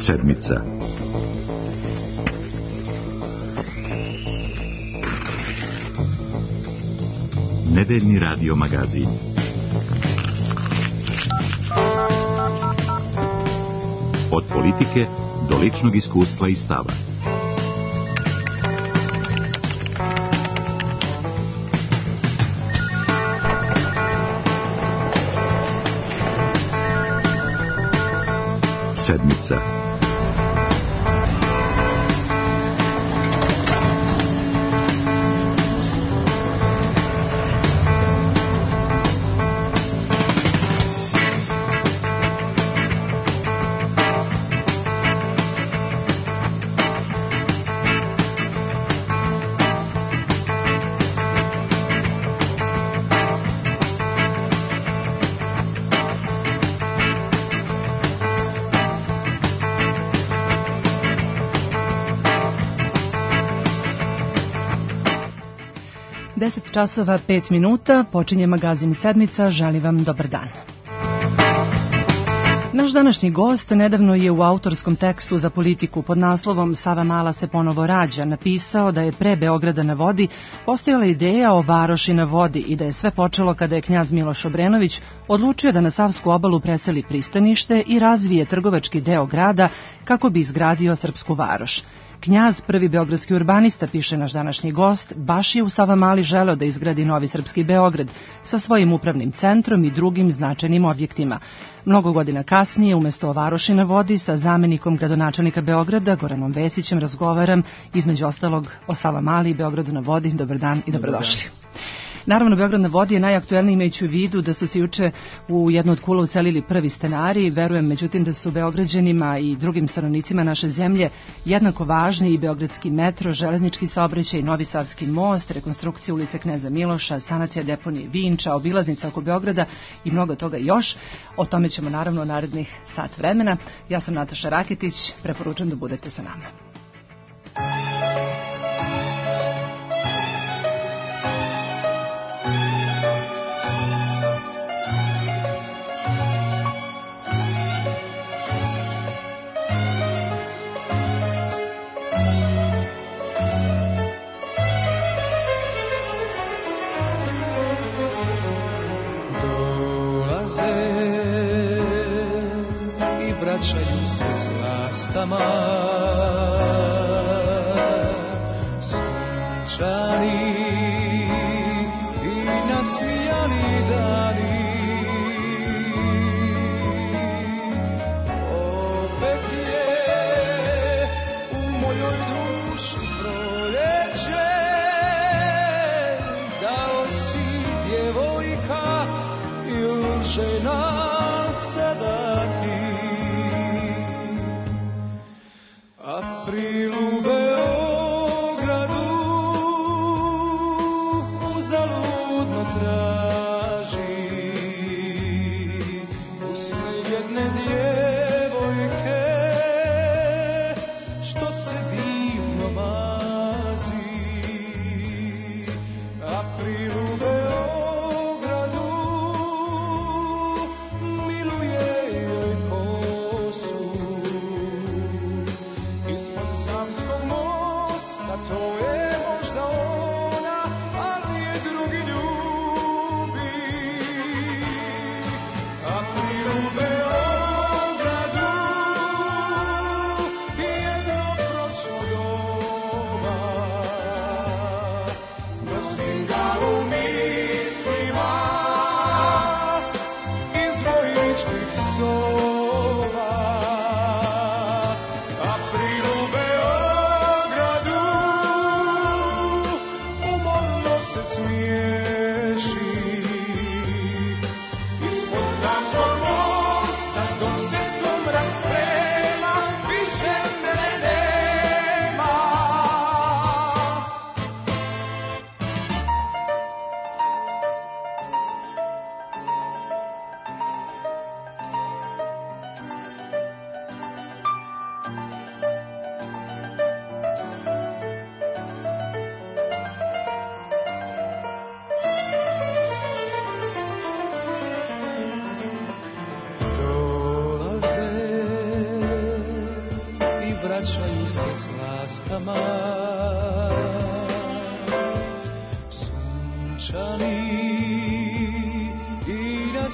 Sedmica. Nedeljni radio magazin. Od politike do ličnog iskustva i stava. Sedmica. Časova 5 minuta, počinje magazin Sedmica, želim vam dobar dan. Naš današnji gost nedavno je u autorskom tekstu za Politiku pod naslovom Sava Mala se ponovo rađa napisao da je pre Beograda na vodi postojala ideja o varoši na vodi i da je sve počelo kada je knjaz Miloš Obrenović odlučio da na Savsku obalu preseli pristanište i razvije trgovački deo grada kako bi izgradio srpsku varoš. Knjaz, prvi beogradski urbanista, piše naš današnji gost, baš je u Savamali želeo da izgradi novi srpski Beograd sa svojim upravnim centrom i drugim značajnim objektima. Mnogo godina kasnije, umesto o varoši na vodi, sa zamenikom gradonačelnika Beograda, Goranom Vesićem, razgovaram između ostalog o Savamali i Beogradu na vodi. Dobar dan i dobrodošli. Naravno, Beograd na vodi je najaktuelniji imajući u vidu da su se juče u jednu od kula uselili prvi stanari. Verujem, međutim, da su Beograđanima i drugim stanovnicima naše zemlje jednako važni i beogradski metro, železnički saobraćaj, Novi Savski most, rekonstrukcija ulice Kneza Miloša, sanacija deponije Vinča, obilaznica oko Beograda i mnogo toga još. O tome ćemo naravno narednih sat vremena. Ja sam Nataša Raketić, preporučujem da budete sa nama. Vraćaju se s lastama sunčani i nasmijani dani. Opet je u mojoj duši proljeće, dao si djevojka ili žena sada ti. April u Beogradu uzaludno traži usne jedne djevojke što se divno mazi. April u Beogradu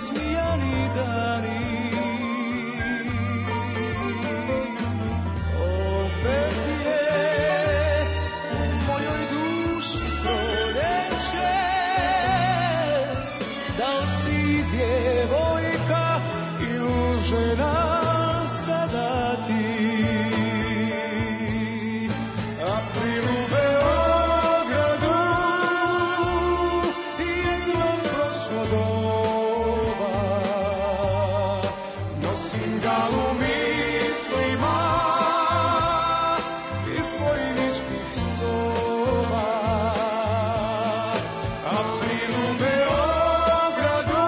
smijani dani. Opet je u mojoj duši proljeće, da li si djevojka ili žena sada ti. April u Beogradu, jedno prošlo doba, nosim ga u mislima iz svojih niških soba. April u Beogradu,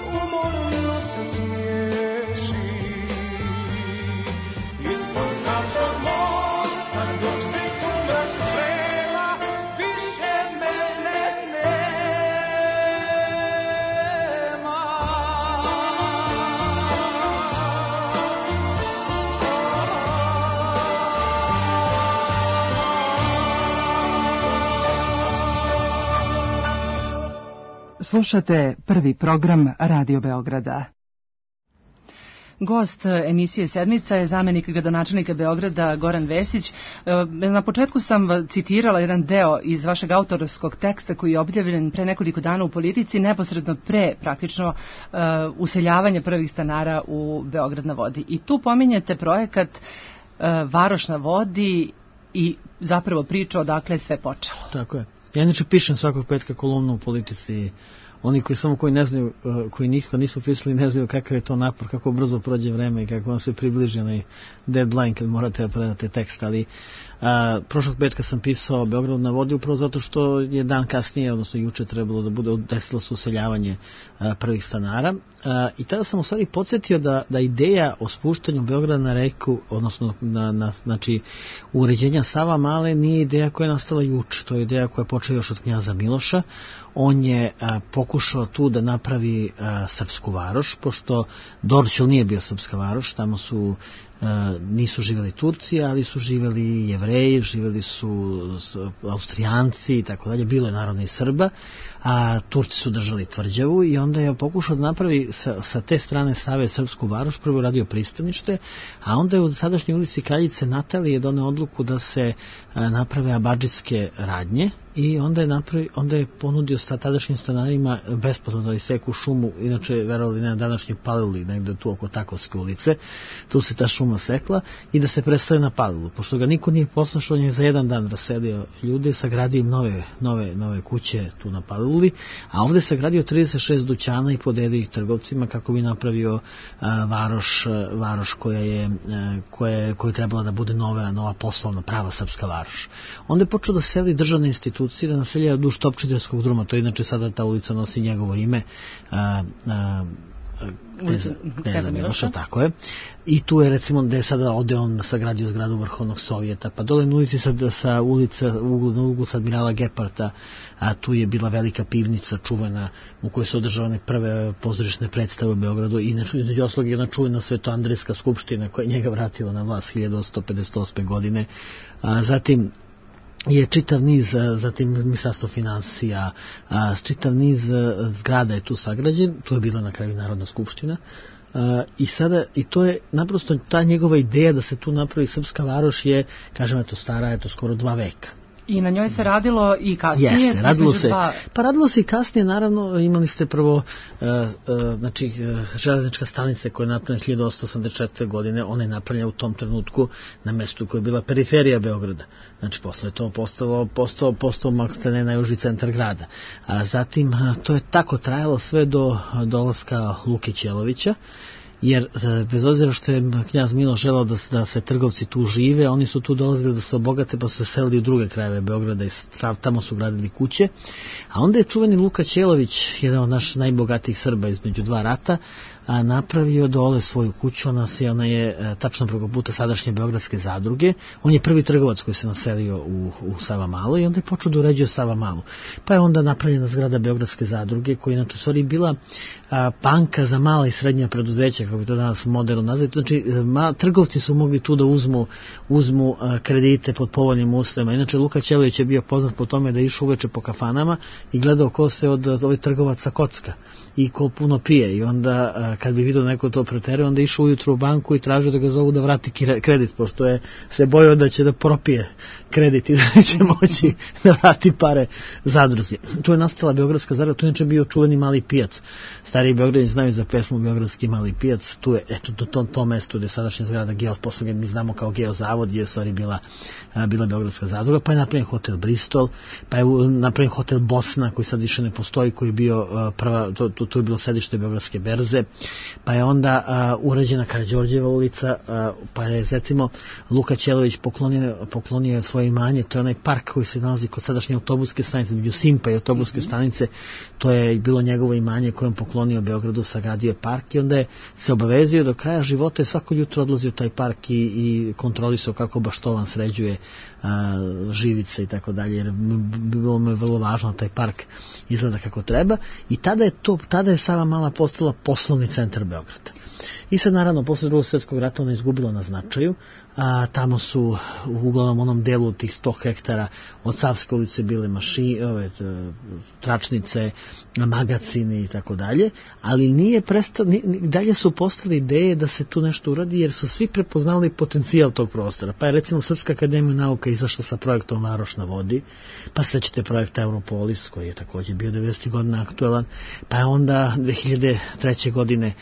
umorno se smiješi, ispod Savskog mosta dok se sumrak sprema, više mene nema. Slušate prvi program Radio Beograda. Gost emisije Sedmica je zamenik gradonačelnika Beograda Goran Vesić. Na početku sam citirala jedan deo iz vašeg autorskog teksta koji je objavljen pre nekoliko dana u Politici, neposredno pre praktično useljavanja prvih stanara u Beograd na vodi. I tu pominjete projekat Varoš na vodi i zapravo priča odakle je sve počelo. Tako je. Ja inače pišem svakog petka kolumnu u Politici. Oni koji ne znaju, koji nikako nisu pisali, ne znaju kakav je to napor, kako brzo prođe vreme i kako vam se približi onaj deadline kad morate da predate tekst, ali prošlog petka sam pisao Beograd na vodi upravo zato što je dan kasnije, odnosno juče trebalo da bude, desilo se useljavanje prvih stanara, i tada sam u stvari podsjetio da ideja o spuštanju Beograda na reku, odnosno znači uređenja Sava Male, nije ideja koja je nastala juče, to je ideja koja je počela još od knjaza Miloša. On je pokušao tu da napravi srpsku varoš, pošto Dorćol nije bio srpska varoš, tamo nisu živjeli Turci, ali su živjeli Jevreji, živjeli su Austrijanci i tako dalje, bilo je naravno i Srba, a Turci su držali tvrđavu i onda je pokušao da napravi sa te strane Save srpsku varoš, prvo radio pristanište, a onda je u sadašnjoj ulici Kraljice Natalije doneo odluku da se naprave abadžitske radnje i onda je ponudio tadašnjim stanarima besplatno da iseku šumu, inače verovali ne, današnje Paliluli, negde tu oko Takovske ulice, tu se ta šuma sekla, i da se presele na Palilu. Pošto ga niko nije poslušao, on je za jedan dan raselio ljude, sagradio im nove kuće tu na Paliluli, a ovde je sagradio 36 dućana i podelio ih trgovcima kako bi napravio varoš koja je trebala da bude nova poslovna prava srpska varoš. Onda je počeo da seli državne institucije, da naselja duž Topčiderskog druma, to je inače sada ta ulica nosi njegovo ime, Kneza Miloša, tako je. I tu je recimo gde je sada Odeon sagradio zgradu Vrhovnog Sovjeta, pa dole na ulici sa ulica na uglu sa Admirala Geparta, a tu je bila velika pivnica čuvena u kojoj su održavane prve pozorišne predstave u Beogradu, i između ostalog jedna čuvena Svetoandrejska skupština koja je njega vratila na vlast 1858. godine. Zatim je čitav niz, zatim Ministarstvo finansija, čitav niz zgrada je tu sagrađen, tu je bila na kraju Narodna skupština, i to je naprosto ta njegova ideja da se tu napravi srpska varoš je, kažem, eto stara, eto skoro 2 veka. I na njoj se radilo i kasnije? Jeste, radilo se i kasnije, naravno. Imali ste prvo železnička stanica koja je napravljena 1884. godine, ona je napravljena u tom trenutku na mestu koja je bila periferija Beograda. Znači, posle je to postao maltene najuži centar grada. Zatim, to je tako trajalo sve do dolaska Luke Ćelovića, jer bez obzira što je knjaz Miloš želao da se trgovci tu žive, oni su tu dolazili da se obogate, pa su se selili u druge krajeve Beograda i tamo su gradili kuće. A onda je čuveni Luka Ćelović, jedan od naših najbogatijih Srba između 2 rata, napravio dole svoju kuću. Ona je tačno preko puta sadašnje Beogradske zadruge. On je prvi trgovac koji se naselio u Savamalu i onda je počeo da uređuje Savamalu. Pa je onda napravljena zgrada Beogradske zadruge, koja je inače u stvari bila banka za mala i srednja preduzeća, kako bi to danas moderno nazvati. Znači, trgovci su mogli tu da uzmu kredite pod povoljnim uslovima. Inače, Luka Ćelović je bio poznat po tome da je išao uveče po kafanama i gledao ko se od ovih trgovaca kocka i ko puno pije. I onda, kad bi vidio neko to preterao, onda išao ujutru u banku i tražio da ga zovu da vrati kredit, pošto je se bojao da će da propije kredit i da neće moći da vrati pare zadruzi. Tu je nastala Beogradska zadruga, tu je inače bio čuveni Mali pijac. Stariji Beograđani znaju za pesmu Beogradski Mali pijac. Tu je, do to mesto gde je sadašnja zgrada posle mi znamo kao Geozavod, je u stvari bila Beogradska zadruga, pa je napravljen hotel Bristol, pa je napravljen hotel Bosna, koji sad više ne postoji, koji je bio tu je bilo sedište Beogradske berze, pa je onda urađena Karađorđeva ulica, pa je recimo Luka Ćelović poklonio svoje imanje, to je onaj park koji se nalazi kod sadašnje autobuske stanice, među Simpa i autobuske stanice, to je bilo njegovo imanje koje on poklonio Beogradu, sagradio je park i onda je se obavezio do kraja života i svako jutro odlazio u taj park i kontrolisao kako Baštovan sređuje živice i tako dalje, jer bilo mu je vrlo važno da taj park izgleda kako treba i tada je Savamala postala poslovni centar Beograda. I sad naravno posle Drugog svjetskog rata ona izgubila na značaju, tamo su uglavnom onom delu tih 100 hektara od Savske ulice bile tračnice, magacini i tako dalje, ali dalje su postale ideje da se tu nešto uradi jer su svi prepoznali potencijal tog prostora. Pa je recimo Srpska akademija nauka izašla sa projektom Varoš na vodi, pa sećate projekta Europolis koji je također bio 90. godina aktuelan, pa je onda 2003. godine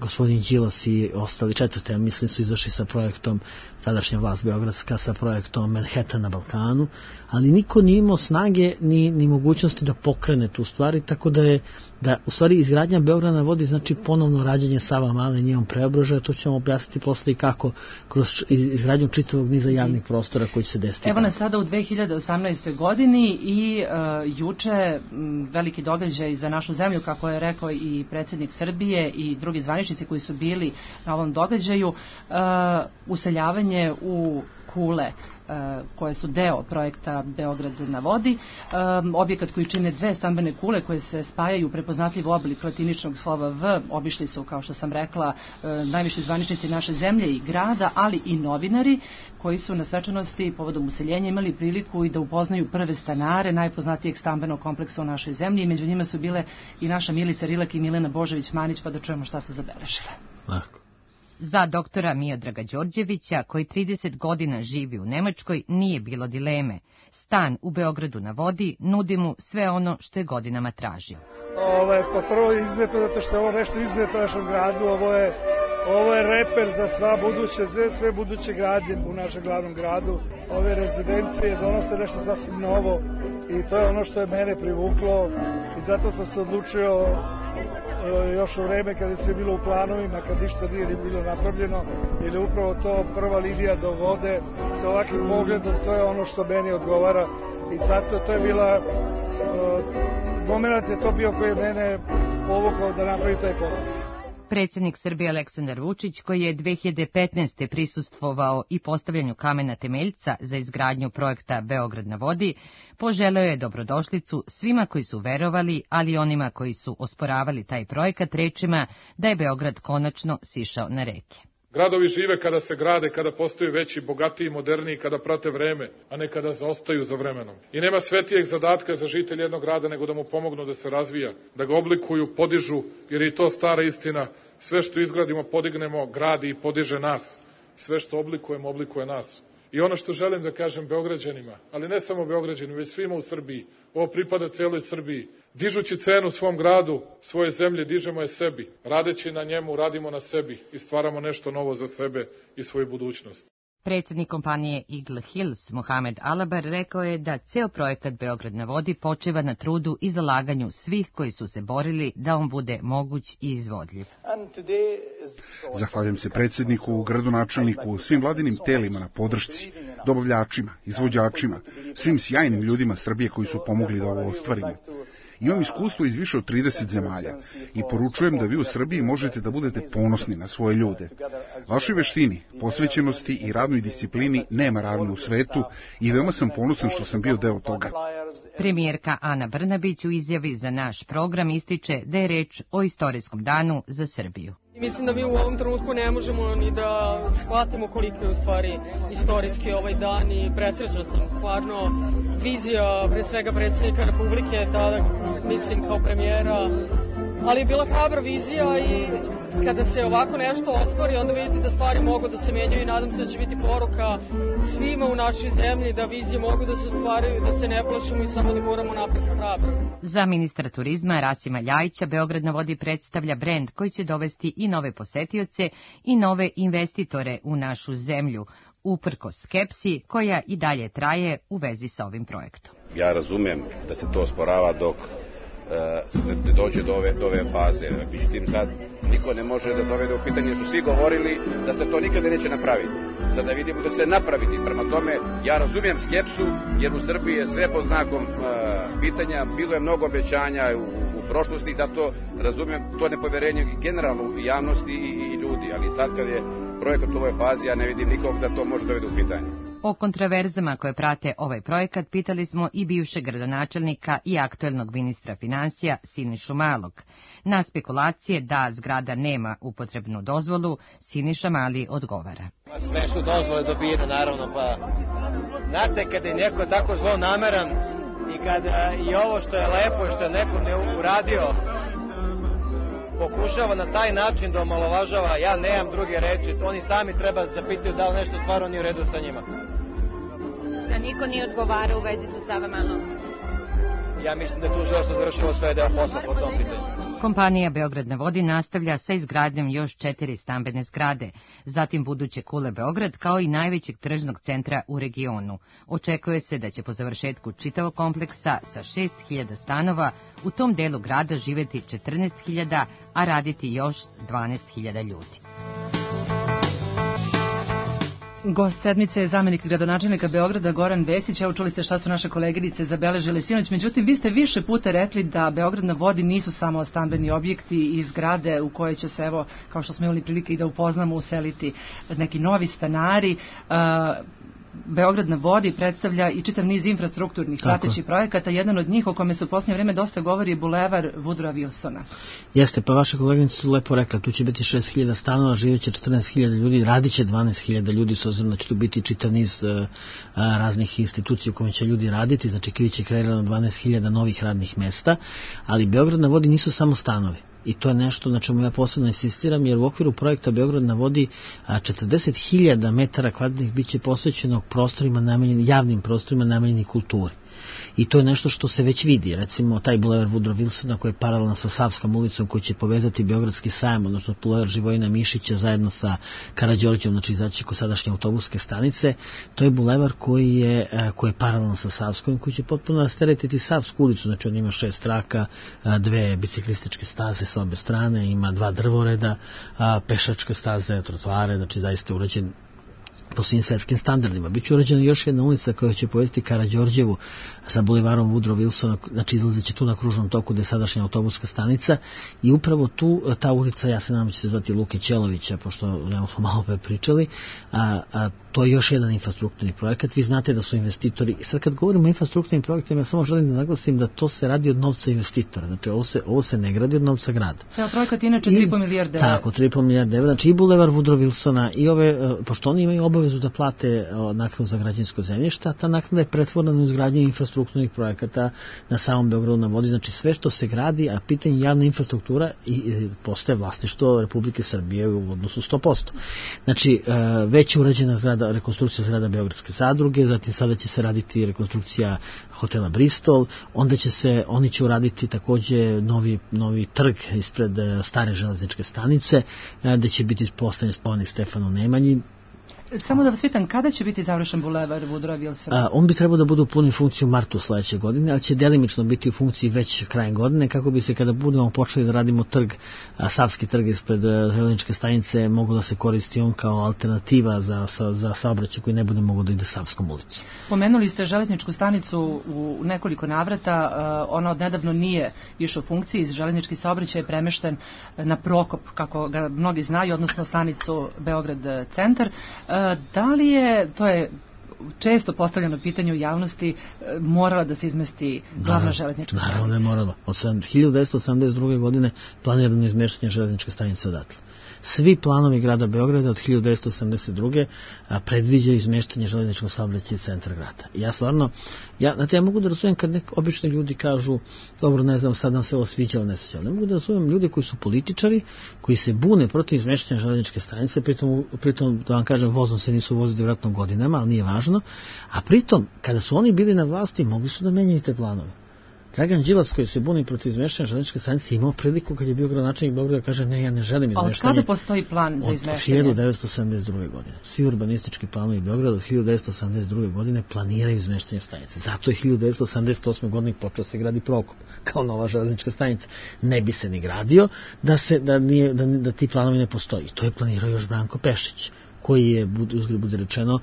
gospodin Đilas i ostali četvrte, ja mislim su izašli sa projektom, tadašnja vlast beogradska, sa projektom Manhattan na Balkanu, ali niko nije imao snage ni mogućnosti da pokrene tu stvari, tako da u stvari izgradnja Beograda na vodi znači ponovno rađenje Savamale, njenom preobražaja, to ćemo objasniti posle i kako kroz izgradnju čitavog niza javnih prostora koji će se desiti. Evo nas sada u 2018. godini i juče veliki događaj za našu zemlju, kako je rekao i predsjednik Srbije i drugi zvaničnici koji su bili na ovom događaju, useljavanje u kule koje su deo projekta Beograd na vodi, objekat koji čine 2 stambene kule koje se spajaju u prepoznatljiv oblik latiničnog slova V. Obišli su, kao što sam rekla, najviši zvaničnici naše zemlje i grada, ali i novinari koji su na svečanosti povodom useljenja imali priliku i da upoznaju prve stanare najpoznatijeg stambenog kompleksa u našoj zemlji i među njima su bile i naša Milica Rilek i Milena Božović-Manić, pa da čujemo šta su zabeležile. Lako. Za doktora Miodraga Đorđevića, koji 30 godina živi u Nemačkoj, nije bilo dileme. Stan u Beogradu na vodi nudi mu sve ono što je godinama tražio. Pa prvo izuzetno, zato što je ovo nešto izuzetno u našem gradu, ovo je reper za sve buduće gradnje u našem glavnom gradu. Ove rezidencije donose nešto sasvim novo i to je ono što je mene privuklo i zato sam se odlučio još u vreme kada je sve bilo u planovima, kad ništa nije ni bilo napravljeno, jer je upravo to prva linija do vode sa ovakvim pogledom, to je ono što meni odgovara i zato to je bila moment je to bio koji je mene povukao da napravi taj potez. Predsjednik Srbije Aleksandar Vučić, koji je 2015. prisustvovao i postavljanju kamena temeljca za izgradnju projekta Beograd na vodi, poželeo je dobrodošlicu svima koji su verovali, ali i onima koji su osporavali taj projekat rečima da je Beograd konačno sišao na reke. Gradovi žive kada se grade, kada postaju veći, bogatiji, moderniji, kada prate vreme, a ne kada zaostaju za vremenom. I nema svetijeg zadatka za žitelj jednog grada nego da mu pomognu da se razvija, da ga oblikuju, podižu, jer je to stara istina. Sve što izgradimo, podignemo, gradi i podiže nas. Sve što oblikujemo, oblikuje nas. I ono što želim da kažem Beograđanima, ali ne samo Beograđanima, već svima u Srbiji, ovo pripada celoj Srbiji. Dižući cenu svom gradu, svoje zemlje, dižemo je sebi. Radeći na njemu, radimo na sebi i stvaramo nešto novo za sebe i svoju budućnost. Predsjednik kompanije Eagle Hills, Mohamed Alabar, rekao je da ceo projekat Beograd na vodi počeva na trudu i zalaganju svih koji su se borili da on bude moguć i izvodljiv. Zahvaljujem se predsjedniku, gradonačelniku, svim vladinim telima na podršci, dobavljačima, izvođačima, svim sjajnim ljudima Srbije koji su pomogli da ovo ostvarimo. Imam iskustvo iz više od 30 zemalja i poručujem da vi u Srbiji možete da budete ponosni na svoje ljude. Vašoj veštini, posvećenosti i radnoj disciplini nema ravne u svetu i veoma sam ponosan što sam bio deo toga. Premijerka Ana Brnabić u izjavi za naš program ističe da je reč o istorijskom danu za Srbiju. Mislim da mi u ovom trenutku ne možemo ni da shvatimo koliko je u stvari istorijski ovaj dan i presrećna sam stvarno vizija pre svega predsjednika Republike, tada mislim kao premijera, ali je bila hrabra vizija i kada se ovako nešto ostvari, onda vidite da stvari mogu da se menjaju i nadam se da će biti poruka svima u našoj zemlji da vizije mogu da se ostvaraju, da se ne plašimo i samo da guramo napred hrabro. Za ministra turizma Rasima Ljajića Beograd na vodi predstavlja brend koji će dovesti i nove posetioce i nove investitore u našu zemlju, uprkos skepsi koja i dalje traje u vezi sa ovim projektom. Ja razumem da se to osporava dok ne dođe do ove faze. Međutim, sad niko ne može da dovede u pitanje, su svi govorili da se to nikada neće napraviti. Sada vidimo da se napraviti. Prema tome, ja razumijem skepsu, jer u Srbiji je sve pod znakom pitanja, bilo je mnogo obećanja u prošlosti, zato razumijem to nepoverenje generalno u javnosti i ljudi, ali sad kad je projekat u ovoj fazi, ja ne vidim nikog da to može dovede u pitanje. O kontraverzama koje prate ovaj projekat pitali smo i bivšeg gradonačelnika i aktuelnog ministra financija Sinišu Malog. Na spekulacije da zgrada nema upotrebnu dozvolu, Siniša Mali odgovara. Sve su dozvole dobijene, naravno, pa znate, kada je neko tako zlonameran i kada i ovo što je lepo i što je neko ne uradio, pokušava na taj način da omalovažava, ja nemam druge reči, oni sami treba zapitaju da li nešto stvarno nije u redu sa njima. Da niko nije odgovarao u vezi sa Savamalom? Ja mislim da je tužilaštvo završilo sve deo posla po tom pitanju. Kompanija Beograd na vodi nastavlja sa izgradnjom još 4 stambene zgrade, zatim buduće Kule Beograd kao i najvećeg tržnog centra u regionu. Očekuje se da će po završetku čitavog kompleksa sa 6.000 stanova u tom delu grada živeti 14.000, a raditi još 12.000 ljudi. Gost sedmice je zamenik gradonačelnika Beograda Goran Vesić. Evo, čuli ste šta su naše koleginice zabeležile sinoć. Međutim, vi ste više puta rekli da Beograd na vodi nisu samo stambeni objekti i zgrade u koje će se, evo, kao što smo imali prilike i da upoznamo, useliti neki novi stanari. Beograd na vodi predstavlja i čitav niz infrastrukturnih pratećih projekata. Jedan od njih o kome se u posljednje vreme dosta govori je bulevar Woodrowa Wilsona. Jeste, pa vaše koleginice su lepo rekla, tu će biti 6.000 stanova, živjeće 14.000 ljudi, radit će 12.000 ljudi, s obzirom da će tu biti čitav niz raznih institucija u kojima će ljudi raditi, znači biće kreirano 12.000 novih radnih mesta, ali Beograd na vodi nisu samo stanovi. I to je nešto na čemu ja posebno insistiram, jer u okviru projekta Beograd na vodi 40.000 metara kvadratnih biće posvećeno prostorima javnim prostorima namenjenih kulturi. I to je nešto što se već vidi, recimo taj bulevar Woodrow Wilsona koji je paralelan sa Savskom ulicom, koji će povezati Beogradski sajam, odnosno bulevar Živojina Mišića zajedno sa Karađorđevom, znači izaći kod sadašnje autobuske stanice. To je bulevar koji je paralelan sa Savskom, koji će potpuno rasteretiti Savsku ulicu, znači on ima 6 traka, 2 biciklističke staze sa obe strane, ima 2 drvoreda, pešačke staze, trotoare, znači zaista urađen po svim svetskim standardima. Biće urađena još jedna ulica koja će povezati Karađorđevu sa bulevarom Woodrow Wilsona, znači izlazeće tu na kružnom toku gde je sadašnja autobuska stanica i upravo tu, ta ulica, ja se nadam će se zvati Luke Ćelovića, pošto smo malo pre pričali, to je još jedan infrastrukturni projekat. Vi znate da su investitori, sad kad govorimo o infrastrukturnim projektima, ja samo želim da naglasim da to se radi od novca investitora, znači ovo se ne gradi od novca grada. Ceo projekat inače 3,5 milijarde evra. Tako, 3,5 milijarde evra, znači i bulevar Woodrow Wilsona i ove, pošto oni imaju obavezu da plate naknadu za građevinsko zemljište, a ta naknada je pretvorena u izgradnju infrastrukturnih projekata na samom Beogradu na vodi, znači sve što se gradi, a pitanje javna infrastruktura postaje vlasništvo Republike Srbije u odnosu 100%. Znači, već je urađena rekonstrukcija zgrada Beogradske zadruge, zatim sada će se raditi rekonstrukcija hotela Bristol, onda oni će uraditi takođe novi trg ispred stare železničke stanice, gde će biti postavljen spomenik Stefanu Nemanji. Samo da vas pitam, kada će biti završen bulevar Woodrow Wilsona? On bi trebao da bude u punoj funkciji u martu sledeće godine, ali će delimično biti u funkciji već krajem godine, kako bi se kada budemo počeli da radimo trg, Savski trg ispred železničke stanice, mogu da se koristi on kao alternativa za saobraćaj koji ne bude mogo da ide Savskom ulicom. Pomenuli ste železničku stanicu u nekoliko navrata, ona odnedavno nije više u funkciji, železnički saobraćaj je premešten na Prokop, kako ga mnogi znaju, odnosno stanicu Beograd centar. Da li je, to je često postavljeno pitanje u javnosti, morala da se izmesti glavna železnička stanica? Naravno je morala. Od 1982. godine planirano izmeštanje železničke stanice odatle. Svi planovi grada Beograda od 1982. predviđaju izmeštanje železničkog saobraćaja iz centra grada. Ja stvarno, ja mogu da razumem kad obični ljudi kažu, dobro, ne znam, sad nam se ovo sviđa ili ne sviđa. Ne mogu da razumem ljudi koji su političari, koji se bune protiv izmeštanja železničke stanice, pritom da vam kažem, vozom se nisu vozili vjerojatno godinama, ali nije važno, a pritom, kada su oni bili na vlasti, mogli su da menjaju te planove. Dragan Đilas, koji se buni protiv izmeštanja železničke stanice, imao priliku kad je bio gradonačelnik Beograda, kaže ne, ja ne želim izmeštanje. A od kada postoji plan za izmeštanje? Od 1972. godine. Svi urbanistički planovi Beograda od 1972. godine planiraju izmeštanje stanice. Zato je 1978. godine počeo se gradi Prokop kao nova železnička stanica. Ne bi se ni gradio da ti planovi ne postoji. To je planirao još Branko Pešić, koji je, uzgled bude rečeno,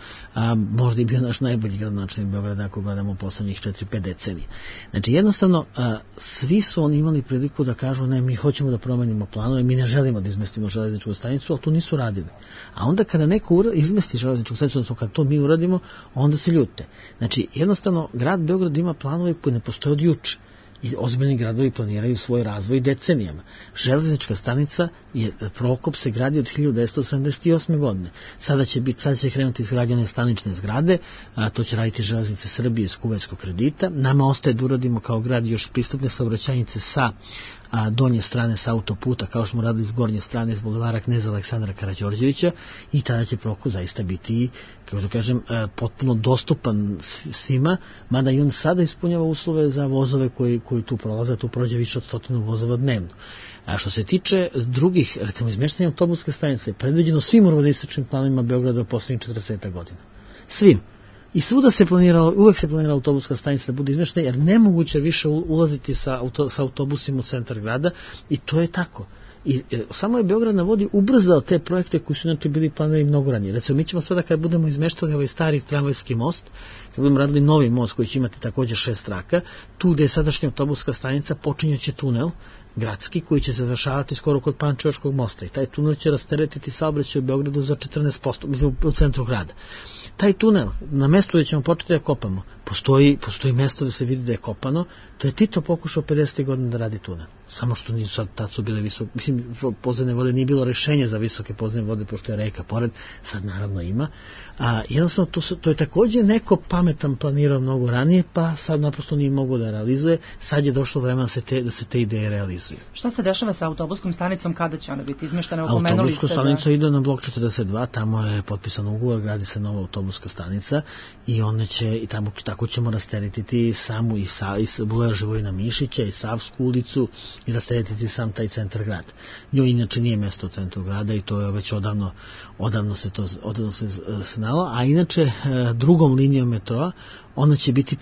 možda i bio naš najbolji gradonačelnik Beograda ako gledamo u poslednjih 4-5 decenije. Znači, jednostavno, svi su oni imali priliku da kažu, ne, mi hoćemo da promenimo planove, mi ne želimo da izmestimo železničku stanicu, ali to nisu radili. A onda kada neko izmesti železničku stanicu, odnosno kada to mi uradimo, onda se ljute. Znači, jednostavno, grad Beograd ima planove koji ne postoje od juče. I ozbiljni gradovi planiraju svoj razvoj decenijama. Železnička stanica Prokop se gradi od 1978. godine. Sada će krenuti izgrađene stanične zgrade, to će raditi Železnice Srbije iz kuvajskog kredita. Nama ostaje da uradimo kao grad još pristupne saobraćajnice sa donje strane sa autoputa, kao što smo radili s gornje strane, s bulevara Kneza Aleksandra Karađorđevića, i tada će Prokop zaista biti, kako da kažem, potpuno dostupan svima, mada i on sada ispunjava uslove za vozove koji tu prolaze, tu prođe više od 100 vozova dnevno. A što se tiče drugih, recimo izmeštanja autobuske stanice, predviđeno svim urbanističkim planovima Beograda u poslednjih 40 godina. Svim. I svuda se planiralo, uvek se planirala autobuska stanica da bude izmeštena, jer nemoguće više ulaziti sa autobusima u centar grada, i to je tako. I samo je Beograd na vodi ubrzao te projekte koji su inače bili planirani mnogo ranije. Recimo, mi ćemo sada kad budemo izmeštali ovaj stari tramvajski most, kad budemo radili novi most koji će imati također 6 traka, tu gde je sadašnja autobuska stanica počinjaće tunel gradski koji će se završavati skoro kod Pančevačkog mosta, i taj tunel će rasteretiti saobraćaj u Beogradu za 14%, mislim u centru grada. Taj tunel, na mestu gde ćemo početi da kopamo, postoji mesto da se vidi da je kopano, to je Tito pokušao 50. godina da radi tunel. Samo što nisu sad, tad su bile visoke, mislim, podzemne vode, nije bilo rešenja za visoke podzemne vode, pošto je reka pored, sad naravno ima. Jednostavno, to je također neko pametan planirao mnogo ranije, pa sad naprosto nije mogao da realizuje, sad je došlo vremena da se te ideje realizuju. Šta se dešava sa autobuskom stanicom, kada će ona biti izmeštena? Autobuska stanica ide na blok 42, tamo je potpisan ugovor, gradi se nova autobuska stanica i ona će, i tamo tako ćemo rasteretiti samu i bulevar Živojina Mišića i Savsku ulicu i rasteretiti sam taj centar grada. Njoj inače nije mesto u centru grada i to je već odavno se znalo, a inače drugom linijom metroa ona će biti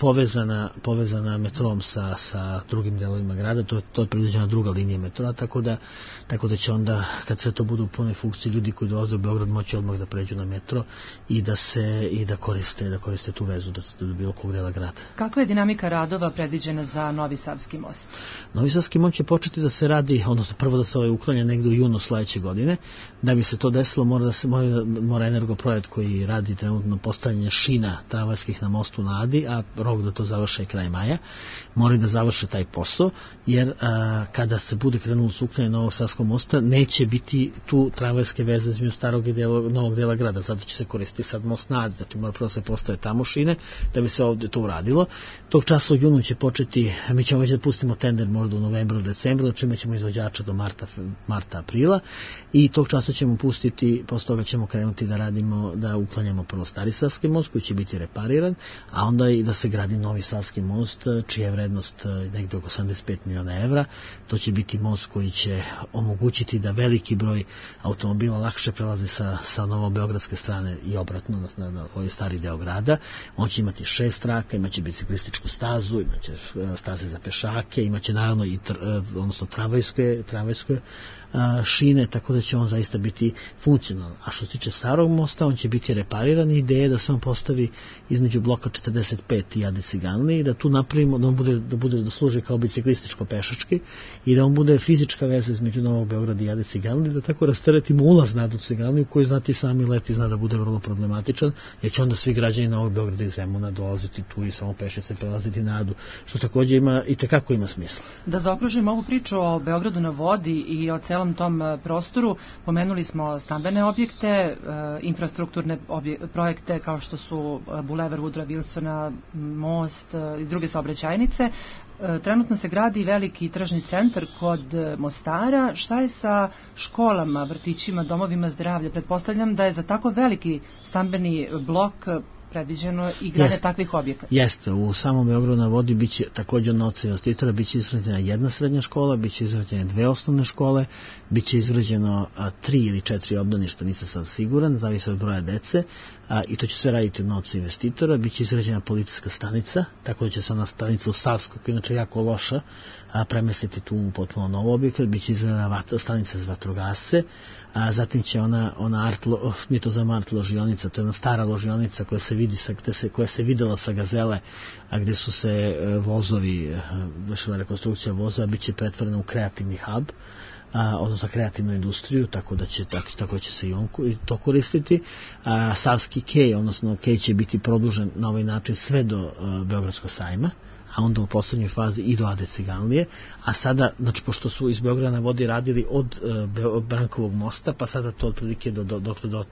povezana metrom sa drugim delovima grada, to je predviđena druga linija metroa, tako da će onda, kad sve to bude u punoj funkciji, ljudi koji dolaze u Beograd moći odmah da pređu na metro i da koriste tu vezu do bilo kog dela grada. Kakva je dinamika radova predviđena za Novi Savski most? Novi Savski most će početi da se radi, odnosno prvo da se uklanja negde u junu sledeće godine. Da bi se to desilo, mora Energoprojekt koji radi trenutno postavljanje šina tramvajskih na mostu na Adi, a rok da to završe kraj maja, moraju da završe taj posao, jer kada se bude krenulo s uklanjanje Novog Savskog mosta, neće biti tu tramvajske veze između starog i novog dela grada, zato će se koristiti sad most na Adi, znači mora prvo se postave tamo šine da bi se ovdje to uradilo. Tog časa u junu će početi, mi ćemo već da pustimo tender možda u novembru, decembru, čime ćemo izvođača do marta, aprila, i tog časa ćemo pustiti, posle toga ćemo krenuti da radimo, da uklanjamo prvo Stari Savski most koji će biti repariran, a onda i da se gradi novi Savski most, čija je vrednost negde oko 85 miliona evra. To će biti most koji će omogućiti da veliki broj automobila lakše prelazi sa novobeogradske strane i obratno na ovaj stari deo grada. On će imati 6 traka, imaće biciklističku stazu, imaće staze za pešake, imaće naravno i odnosno tramvajske šine, tako da će on zaista biti funkcionalan. A što se tiče starog mosta, on će biti repariran i ideja je da se on postavi između bloka 45 i Ade Ciganlije i da tu napravimo, da služi kao biciklističko-pešački i da on bude fizička veza između Novog Beograda i Ade Ciganlije, da tako rasteretimo ulaz na Adu Ciganliju, koji znati sami leti zna da bude vrlo problematičan, jer će onda svi građani Novog Beograda i Zemuna dolaziti tu i samo pešice prelaziti na Adu, što takođe ima i tekako ima smisla. Da zaokružim ovu priču o Beogradu na vodi i o celom tom prostoru, pomenuli smo stambene objekte, infrastrukturne projekte kao što su Bulevar Woodrowa Wilsona, most i druge saobraćajnice. Trenutno se gradi veliki tržni centar kod Mostara. Šta je sa školama, vrtićima, domovima zdravlja? Pretpostavljam da je za tako veliki stambeni blok predviđeno i grade takvih objekata. Jeste, u samom Beogradu na vodi biće također od novca investitora, biće izgrađena jedna srednja škola, biće izgrađene 2 osnovne škole, biće izgrađeno 3 ili 4 obdaništa, nisam sam siguran, zavisi od broja dece, i to će sve raditi od novca investitora. Biće izgrađena policijska stanica, tako da će se ona stanica u Savskoj, koja je inače jako loša, premestiti tu u potpuno novo objekat. Biće izgrađena stanica za vatrogasce, zatim će mi to zovemo art ložionica, to je jedna stara ložionica koja se vidi, koja se videla sa Gazele, a gde su se vozovi, vršila rekonstrukcija vozova, bit će pretvorena u kreativni hub, odnosno kreativnu industriju, tako će se i to koristiti. Savski kej, odnosno kej će biti produžen na ovaj način sve do Beogradskog sajma, a onda u poslednjoj fazi i do Ade Ciganlije, a sada, znači, pošto su iz Beograda na vodi radili od Brankovog mosta, pa sada to otprilike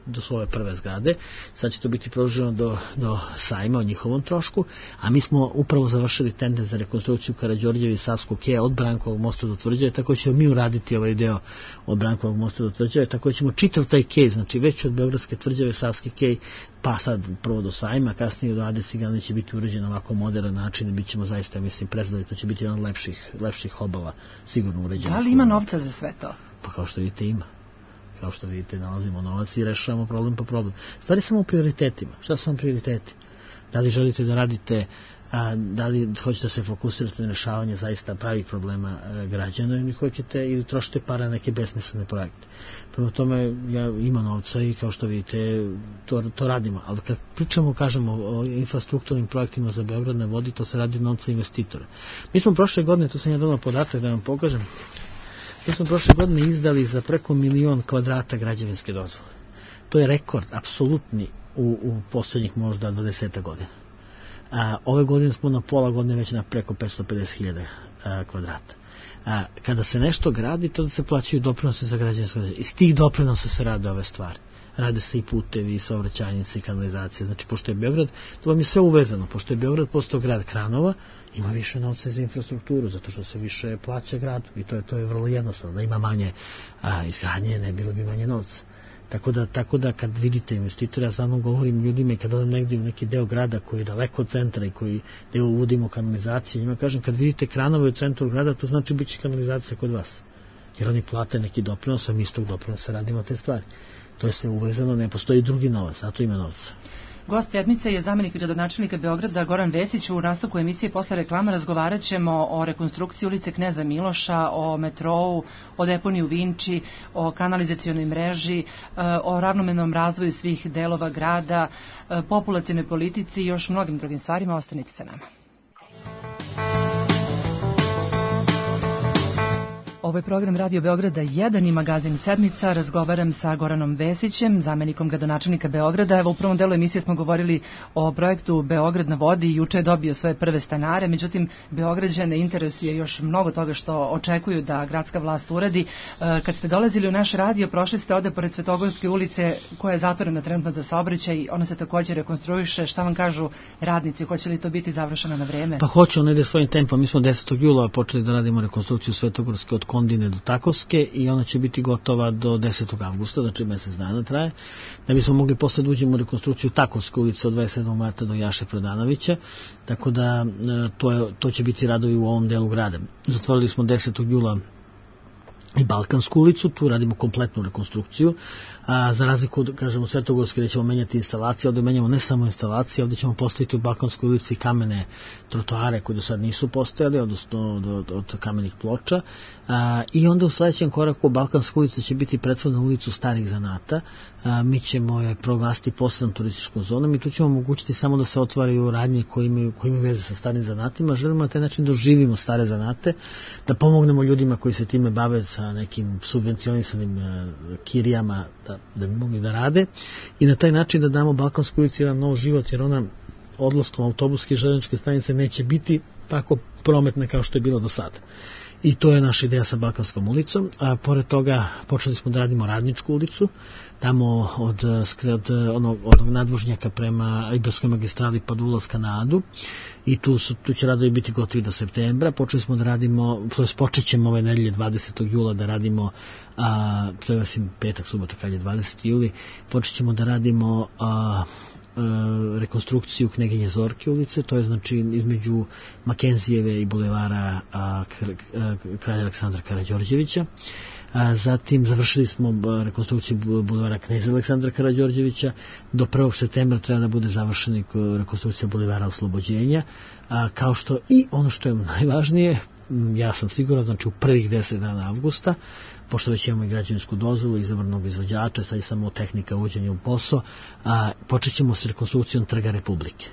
do svoje prve zgrade, sad će to biti produženo do sajma o njihovom trošku, a mi smo upravo završili tender za rekonstrukciju Karađorđeva i Savskog keja od Brankovog mosta do Tvrđave, tako ćemo mi uraditi ovaj deo od Brankovog mosta do Tvrđave, tako ćemo čitav taj kej, znači već od Beogradske Tvrđave, Savski kej, pa sad prvo do sajma, kasnije do Ade Ciganlije će biti uređen ovako modern način i bit ćemo zaista, mislim, prezadali, to će biti jedan lepših obala, sigurno uređen. Da li ima novca za sve to? Pa kao što vidite ima. Kao što vidite, nalazimo novac i rešavamo problem po problem. Stvari samo u prioritetima. Šta su vam prioriteti? Da li želite da radite, da li hoćete da se fokusirate na rešavanje zaista pravih problema građana ili trošite para na neke besmislene projekte. Prema tome, ima novca i kao što vidite, to radimo. Ali kad pričamo, kažemo o infrastrukturnim projektima za Beograd na vodi, to se radi od novca investitora. Mi smo prošle godine, to sam ja donao podatak da vam pokažem, mi smo prošle godine izdali za preko 1 milion kvadrata građevinske dozvole. To je rekord, apsolutni, u poslednjih možda 20 godina. Ove godine smo na pola godine već na preko 550.000 kvadrata. Kada se nešto gradi, tada se plaćaju doprinose za građevinsko dozvole. Iz tih doprinosa se rade ove stvari. Rade se i putevi, i saobraćajnice, i kanalizacije. Znači, pošto je Beograd, to vam je sve uvezano. Pošto je Beograd postao grad kranova, ima više novca za infrastrukturu, zato što se više plaća gradu. I to je vrlo jednostavno. Da ima manje izgradnje, ne bilo bi manje novca. Tako da kad vidite investitora, ja samo govorim ljudima i kad odem negdje u neki deo grada koji je daleko od centra i gde uvodimo kanalizaciju, njima kažem, kad vidite kranove u centru grada, to znači bit će kanalizacija kod vas. Jer oni plate neki doprinos, a mi iz tog doprinosa radimo te stvari. To je sve uvezano, ne postoji drugi novac, zato ima novca. Gost sedmice je zamenik gradonačelnika Beograda Goran Vesić. U nastavku emisije posle reklama razgovarat ćemo o rekonstrukciji ulice Kneza Miloša, o metrou, o deponiju Vinči, o kanalizacionoj mreži, o ravnomernom razvoju svih delova grada, populacionoj politici i još mnogim drugim stvarima. Ostanite sa nama. Ovo je program Radio Beograda 1 i magazin Sedmica. Razgovaram sa Goranom Vesićem, zamenikom gradonačelnika Beograda. Evo, u prvom delu emisije smo govorili o projektu Beograd na vodi. Juče je dobio svoje prve stanare, međutim, Beograđane interesuje još mnogo toga što očekuju da gradska vlast uradi. Kad ste dolazili u naš radio, prošli ste ovde pored Svetogorske ulice, koja je zatvorena trenutno za saobraćaj. Ona se također rekonstruiše. Šta vam kažu radnici? Hoće li to biti završeno na vreme? Pa hoće, on ide svojim tempom. Mi smo 10. jula počeli da radimo rekonstrukciju Svetogorske od Kondine do Takovske i ona će biti gotova do 10. avgusta, znači mjesec dana traje, da bismo mogli posle da uđemo u rekonstrukciju Takovske ulice od 27. marta do Jaše Prodanovića, tako da to će biti radovi u ovom delu grada. Zatvorili smo 10. jula i Balkansku ulicu, tu radimo kompletnu rekonstrukciju, a za razliku od, kažemo, Svetogorske, gde ćemo menjati instalacije, ovde menjamo ne samo instalacije, ovde ćemo postaviti u Balkanskoj ulici kamene trotoare koji do sad nisu postojali, odnosno od kamenih ploča, i onda u sledećem koraku Balkanska ulica će biti pretvorena u ulicu starih zanata, mi ćemo je proglasiti posebnom turističkom zonom i tu ćemo omogućiti samo da se otvaraju radnje koji imaju veze sa starim zanatima. Želimo na taj način da oživimo stare zanate, da pomognemo ljudima koji se time bave sa nekim subvencionisanim kirijama da bi mogli da rade i na taj način da damo Balkanskoj ulici jedan nov život, jer ona odlaskom autobuske i železničke stanice neće biti tako prometna kao što je bila do sada. I to je naša ideja sa Balkanskom ulicom. A pored toga počeli smo da radimo Radničku ulicu, tamo od onog nadvožnjaka prema Ibarskoj magistrali pa do ulaska na Adu, i tu će radovi biti gotovi do septembra. Počeli smo da radimo, počet ćemo ove nedelje 20. jula da radimo, to je petak, subota, kad je 20. juli, počet ćemo da radimo rekonstrukciju Kneginje Zorke ulice, to je znači između Makenzijeve i bulevara kralja Aleksandra Karađorđevića. Zatim završili smo rekonstrukciju bulevara Kneza Aleksandra Karađorđevića, do 1. septembra treba da bude završena rekonstrukcija bulevara Oslobođenja, kao što i ono što je najvažnije, ja sam siguran, znači u prvih 10 dana avgusta, pošto već imamo i građevinsku dozvolu, izabranog izvođača, sad je samo tehnika uvođenja u posao, počet ćemo s rekonstrukcijom Trga Republike.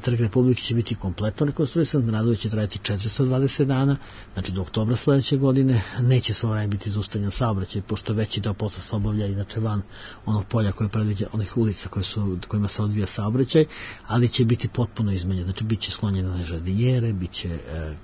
Trg Republike će biti kompletno rekonstruisan, radovi će trajati 420 dana, znači do oktobra sledeće godine. Neće sve vreme biti zaustavljen saobraćaj, pošto veći deo posla se obavlja inače van onog polja koje predviđa, onih ulica kojima se odvija saobraćaj, ali će biti potpuno izmenjen, znači bit će sklonjene žardinjere, bit će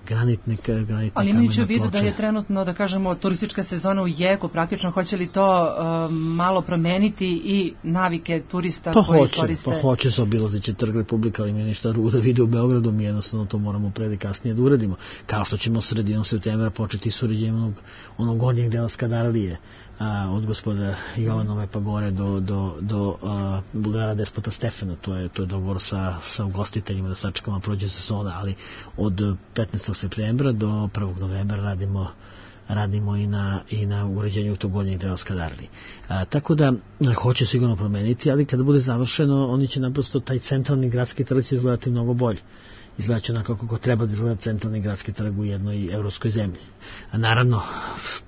granitne kamene ploče. Ali imajući u vidu da je trenutno, da kažemo, turistička sezona u jeku, praktično hoće li to malo promeniti i navike turista koji koriste? Pa hoće, zaobilazit će Trg Republike, ali mi ništa drugo da vide u Beogradu, mi jednostavno to moramo pre kasnije da uradimo. Kao što ćemo sredinom septembra početi s uređenjem onog gornjeg dela Skadarlije, od gospoda Jovanove pa gore do bulevara Despota Stefana, to je dogovor sa ugostiteljima da sačekamo prođe sezona, ali od 15. septembra do 1. novembra radimo i na uređenju tog gornjeg dela Skadarlije. Tako da hoće sigurno promeniti, ali kada bude završeno, oni će naprosto, taj centralni gradski trg će izgledati mnogo bolje. Izgledat će onako kako treba da izgleda centralni gradski trg u jednoj evropskoj zemlji. A naravno,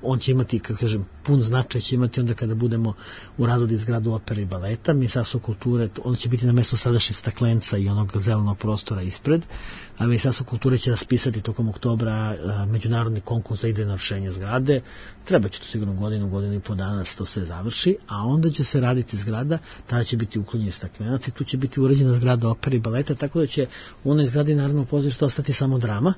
on će imati, kako kažem, pun značaj će imati onda kada budemo u radu zgradu opere i baleta. Ministarstvo kulture, on će biti na mestu sadašnjeg staklenca i onog zelenog prostora ispred, a Ministarstvo kulture će raspisati tokom oktobra međunarodni konkurs za idejno rešenje zgrade. Treba će to sigurno godinu i po dana da se to sve završi, a onda će se raditi zgrada, tada će biti uklonjeni staklenac i tu će biti uređena zgrada opere i baleta, tako da će u onoj zgradi Narodnog pozorišta ostati samo drama,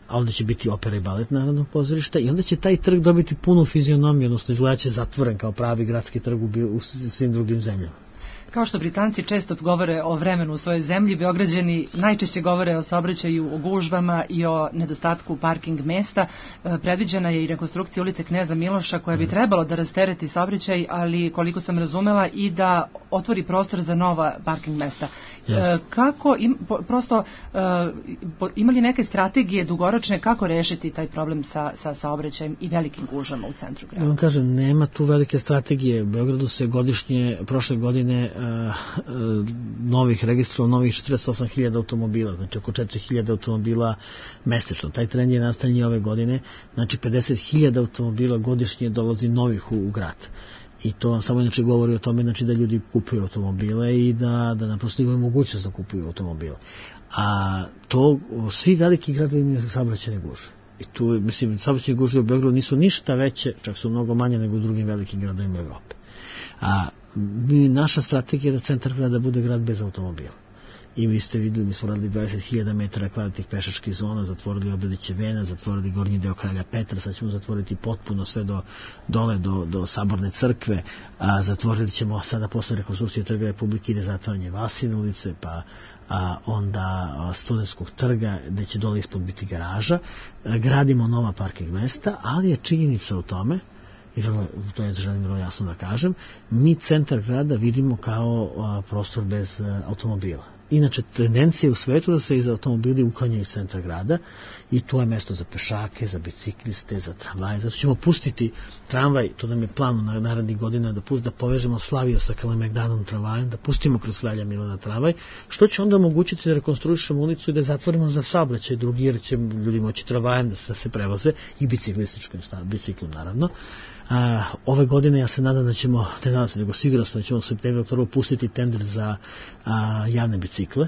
a ovdje će biti opera i balet Narodnog pozorišta i onda će taj trg dobiti punu fizionomiju, odnosno izgledat će zatvoren kao pravi gradski trg u svim drugim zemljama. Kao što Britanci često govore o vremenu u svojoj zemlji, Beograđani najčešće govore o saobraćaju, o gužvama i o nedostatku parking mesta. Predviđena je i rekonstrukcija ulice Kneza Miloša koja bi trebalo da rastereti saobraćaj, ali koliko sam razumela i da otvori prostor za nova parking mesta. Kako, ima li neke strategije dugoročne kako rešiti taj problem sa saobraćajem i velikim gužvama u centru grada? Ja vam kažem, nema tu velike strategije. U Beogradu se godišnje, prošle godine novih registrovalo novih 48.000 automobila, znači oko 4.000 automobila mesečno. Taj trend je nastavljen i ove godine, znači 50.000 automobila godišnje dolazi novih u grad. I to vam samo inače govori o tome, znači da ljudi kupuju automobile i da naprosto imaju mogućnost da kupuju automobile. A to, svi veliki gradovi imaju saobraćajne gužve. I tu, mislim, saobraćajne gužve u Beogradu nisu ništa veće, čak su mnogo manje nego u drugim velikim gradovima Evrope. A naša strategija je da centar grada bude grad bez automobila. i vi ste videli, mi smo radili 20.000 metara kvadratnih pešačkih zona, zatvorili Obrediće Vena, zatvorili gornji deo Kralja Petra, sad ćemo zatvoriti potpuno sve dole do Saborne crkve, zatvorili ćemo sada posle rekonstrukcije Trga Republike ide zatvaranje Vasine ulice, pa onda Studentskog trga, gde će dole ispod biti garaža, gradimo nova parking mesta, ali je činjenica u tome, i to je želim vrlo jasno da kažem, mi centar grada vidimo kao prostor bez automobila. Inače, tendencija u svetu da se iz automobili uklanjaju iz centra grada i to je mesto za pešake, za bicikliste, za tramvaje. Zato ćemo pustiti tramvaj, to nam je plan na narednih godina, da povežemo Slaviju sa Kalemegdanom tramvajem, da pustimo kroz Kralja Milana tramvaj, što će onda omogućiti da rekonstruišemo ulicu i da zatvorimo za saobraćaj drugi, jer će ljudi moći tramvajem da se prevoze i biciklom naravno. Ove godine ja se nadam da ćemo, sigurno da ćemo u septembru oktobru pustiti tender za javne bicikle,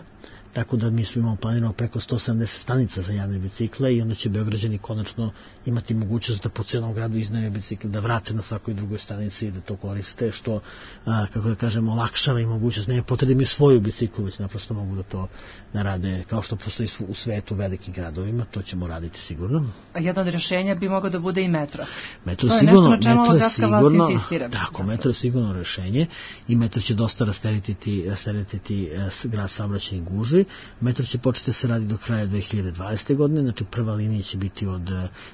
tako da mi smo imamo planirano preko 170 stanica za javne bicikle i onda će Beograđani konačno imati mogućnost da po celom gradu iznajme bicikle, da vrate na svakoj drugoj stanici i da to koriste, što, kako da kažemo, olakšava i mogućnost. Ne potrebno svoju biciklu, već naprosto mogu da to rade kao što postoji u svetu velikim gradovima, to ćemo raditi sigurno. A jedno od rješenja bi moglo da bude i metro. Metro to je sigurno, nešto na čemu gradska vlast insistira. Tako, metro je sigurno rješenje i metro će dosta rasteretiti grad saobraćajnih gužvi. Metro će početi se radi do kraja 2020. godine, znači prva linija će biti od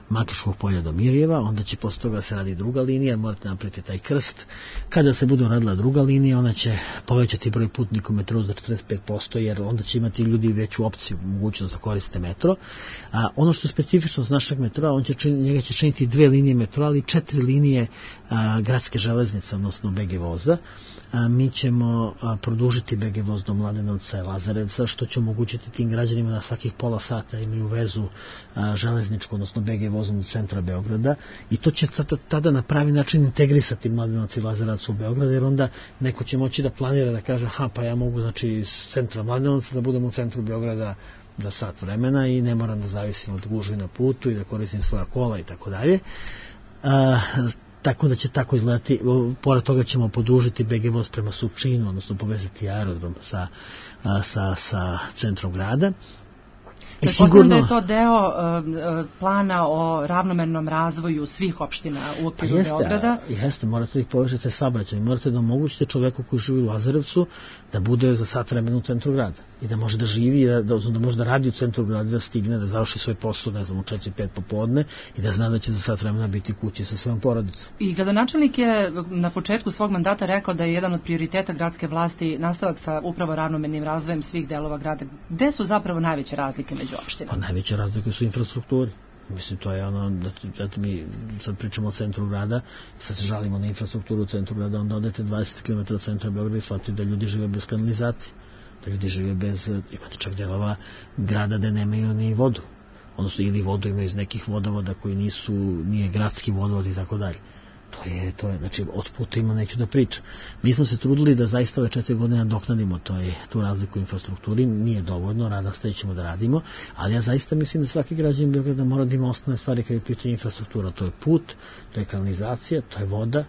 Makiškog polja do Mirjeva, onda će posle toga se radi druga linija, morate napraviti taj krst. Kada se bude radila druga linija, ona će povećati broj putnika u metru za 45%, jer onda će imati ljudi veću opciju, mogućnost da koriste metro. Ono što je specifičnost našeg metroa, njega će činiti 2 linije metroa, ali 4 linije gradske železnice, odnosno BG voza. Mi ćemo produžiti BG voz do Mladenovca i Lazarevca, što će omogućiti tim građanima da svakih pola sata imaju vezu železničku, odnosno BG vozom do centra Beograda, i to će tada na pravi način integrisati Mladenovac i Lazarevac u Beograd, jer onda neko će moći da planira, da kaže, pa ja mogu, znači, iz centra Mladenovca da budem u centru Beograda za sat vremena i ne moram da zavisim od gužvi na putu i da koristim svoja kola i tako dalje. Tako da će tako izgledati. Pored toga ćemo podružiti BG voz prema Surčinu, odnosno povezati aerodrom sa centrom grada. Pretpostavljam da je to deo plana o ravnomernom razvoju svih opština u okviru Beograda. Jeste, morate da ih povežete saobraćajem, morate da omogućite čoveku koji živi u Lazarevcu da bude za sat vremena u centru grada i da može da živi, da može da radi u centru grada, da stigne, da završi svoj posao, ne znam, u 4-5 popodne i da zna da će za sat vremena biti kući sa svojom porodicom. I gradonačelnik je na početku svog mandata rekao da je jedan od prioriteta gradske vlasti nastavak sa upravo ravnomernim razvojem svih delova grada. Gde su zapravo najveće razlike među opštinama? Pa najveće razlike su u infrastrukturi. Mislim, to je ono, da mi sad pričamo o centru grada, sad se žalimo na infrastrukturu u centru grada, onda odete 20 km od centra Beograda i shvatite da ljudi žive bez kanalizacije, da ljudi žive bez, imate čak delova grada da nemaju ni vodu, odnosno ili vodu imaju iz nekih vodovoda koji nije gradski vodovod i tako dalje. To je, znači, od puta ima neću da pričam. Mi smo se trudili da zaista ove 4 godine nadoknadimo tu razliku u infrastrukturi, nije dovoljno, nastavićemo da radimo, ali ja zaista mislim da svaki građanin Beograda mora da ima osnovne stvari kada je pitanje infrastruktura. To je put, to je kanalizacija, to je voda,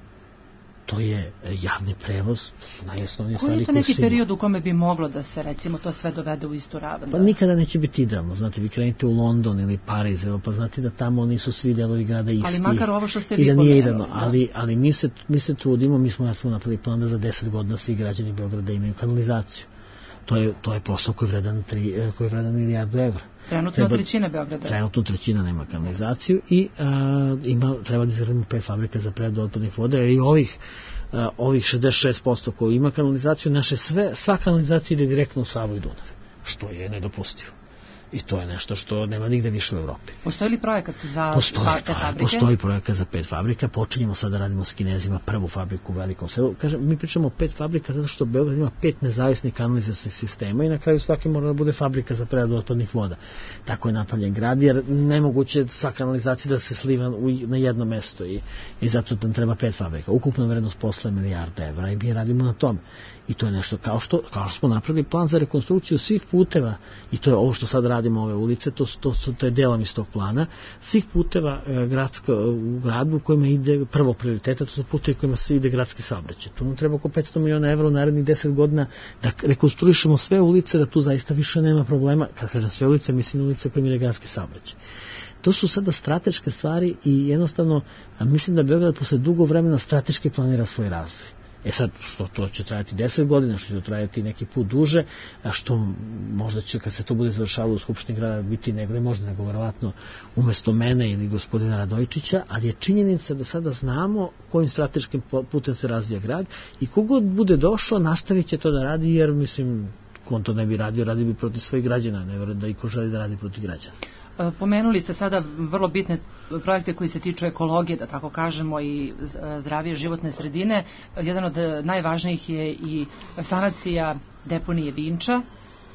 to je javni prevoz, to su najosnovnije stvari. Koji je to neki period u kome bi moglo da se, recimo, to sve dovede u istu ravan? Pa nikada neće biti idealno. Znate, vi krenete u London ili Pariz, pa znate da tamo nisu svi delovi grada isti. Ali makar ovo što ste vi pomenuli. Nije idealno, ali mi se trudimo, mi smo napravili plan da za 10 godina svi građani Beograda imaju kanalizaciju. To je posao koji je vredan milijardu evra. Trenutno trećina Beograda. Trenutno trećina nema kanalizaciju i treba da izgradimo 5 fabrika za preradu otpadnih voda, jer i ovih 66% koji ima kanalizaciju, sva kanalizacija ide direktno u Savu i Dunav, što je nedopustivo. I to je nešto što nema nigde više u Evropi. Postoji li projekat za 5 fabrike? Postoji projekat za 5 fabrika. Počinjemo sad da radimo s Kinezima prvu fabriku u Velikom Selu. Kažem, mi pričamo o 5 fabrika zato što Beograd ima 5 nezavisnih kanalizacijskih sistema i na kraju svaki mora da bude fabrika za preradu otpadnih voda. Tako je napravljen grad, jer nemoguće sva kanalizacija da se sliva na jedno mesto i zato nam treba 5 fabrika. Ukupna vrednost posla je milijarda evra i mi radimo na tome. I to je nešto kao što smo napravili plan za rekonstrukciju svih puteva i to je ovo što sad radimo ove ulice, to je delom iz tog plana, svih puteva u gradu u kojima ide prvo prioriteta, to su putevi kojima se ide gradski saobraćaj. Tu nam treba oko 500 miliona evra u narednih 10 godina da rekonstruišemo sve ulice, da tu zaista više nema problema. Kad kažem sve ulice, mislim na ulice kojima ide gradski saobraćaj. To su sada strateške stvari i jednostavno mislim da Beograd posle dugo vremena strateški planira svoj razvoj. Sad, što to će trajati 10 godina, što će to trajati neki put duže, a što možda će, kad se to bude završavalo u Skupštini grada, biti nego verovatno umesto mene ili gospodina Radojičića, ali je činjenica da sada znamo kojim strateškim putem se razvija grad i kogod bude došao, nastavit će to da radi, jer, mislim, on to ne bi radio bi protiv svojih građana, ne verujem da iko želi da radi protiv građana. Pomenuli ste sada vrlo bitne projekte koji se tiču ekologije, da tako kažemo, i zdravije životne sredine. Jedan od najvažnijih je i sanacija deponije Vinča.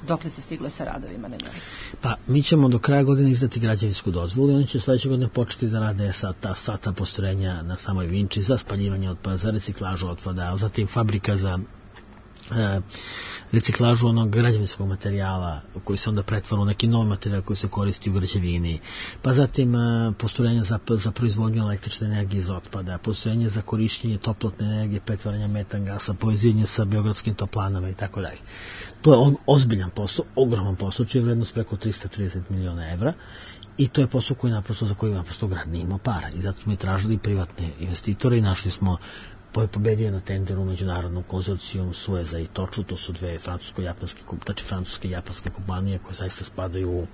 Dokle se stiglo sa radovima na njoj? Pa, mi ćemo do kraja godine izdati građevinsku dozvolu i oni će sledeće godine početi da rade sva ta postrojenja na samoj Vinči za spaljivanje otpada, za reciklažu otpada, zatim fabrika za reciklažu onog građevinskog materijala koji se onda pretvara u neki novi materijal koji se koristi u građevini, pa zatim postrojenja za proizvodnju električne energije iz otpada, postrojenje za korišćenje toplotne energije, pretvaranja metan gasa, povezivanje sa beogradskim toplanama i tako dalje. To je ozbiljan posao, ogroman posao, čija je vrednost preko 330 miliona evra i to je posao za koji naprosto grad nije imao para i zato smo i tražili privatne investitore i našli smo pobedio na tenderu međunarodnom konzorcijom Sueza i Toču, to su dve francuske i japanske kompanije koje zaista spadaju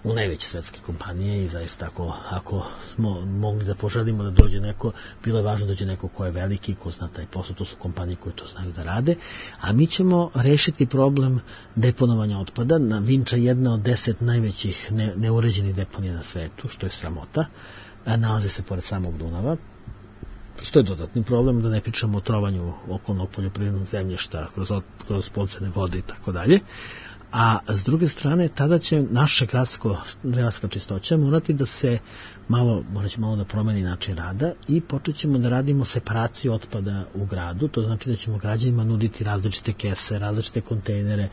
u najveće svetske kompanije i zaista ako smo mogli da poželimo da dođe neko, bilo je važno da dođe neko ko je veliki, ko zna taj posao, to su kompanije koje to znaju da rade, a mi ćemo rešiti problem deponovanja otpada. Na Vinča jedna od 10 najvećih neuređenih deponija na svetu, što je sramota, nalazi se pored samog Dunava, što je dodatni problem, da ne pričamo o trovanju okolnog poljoprivrednog zemljišta kroz podzemne vode i tako dalje. A s druge strane, tada će naša gradska čistoća morati da se morat malo da promeni način rada i počet ćemo da radimo separaciju otpada u gradu, to znači da ćemo građanima nuditi različite kese, različite kontejnere,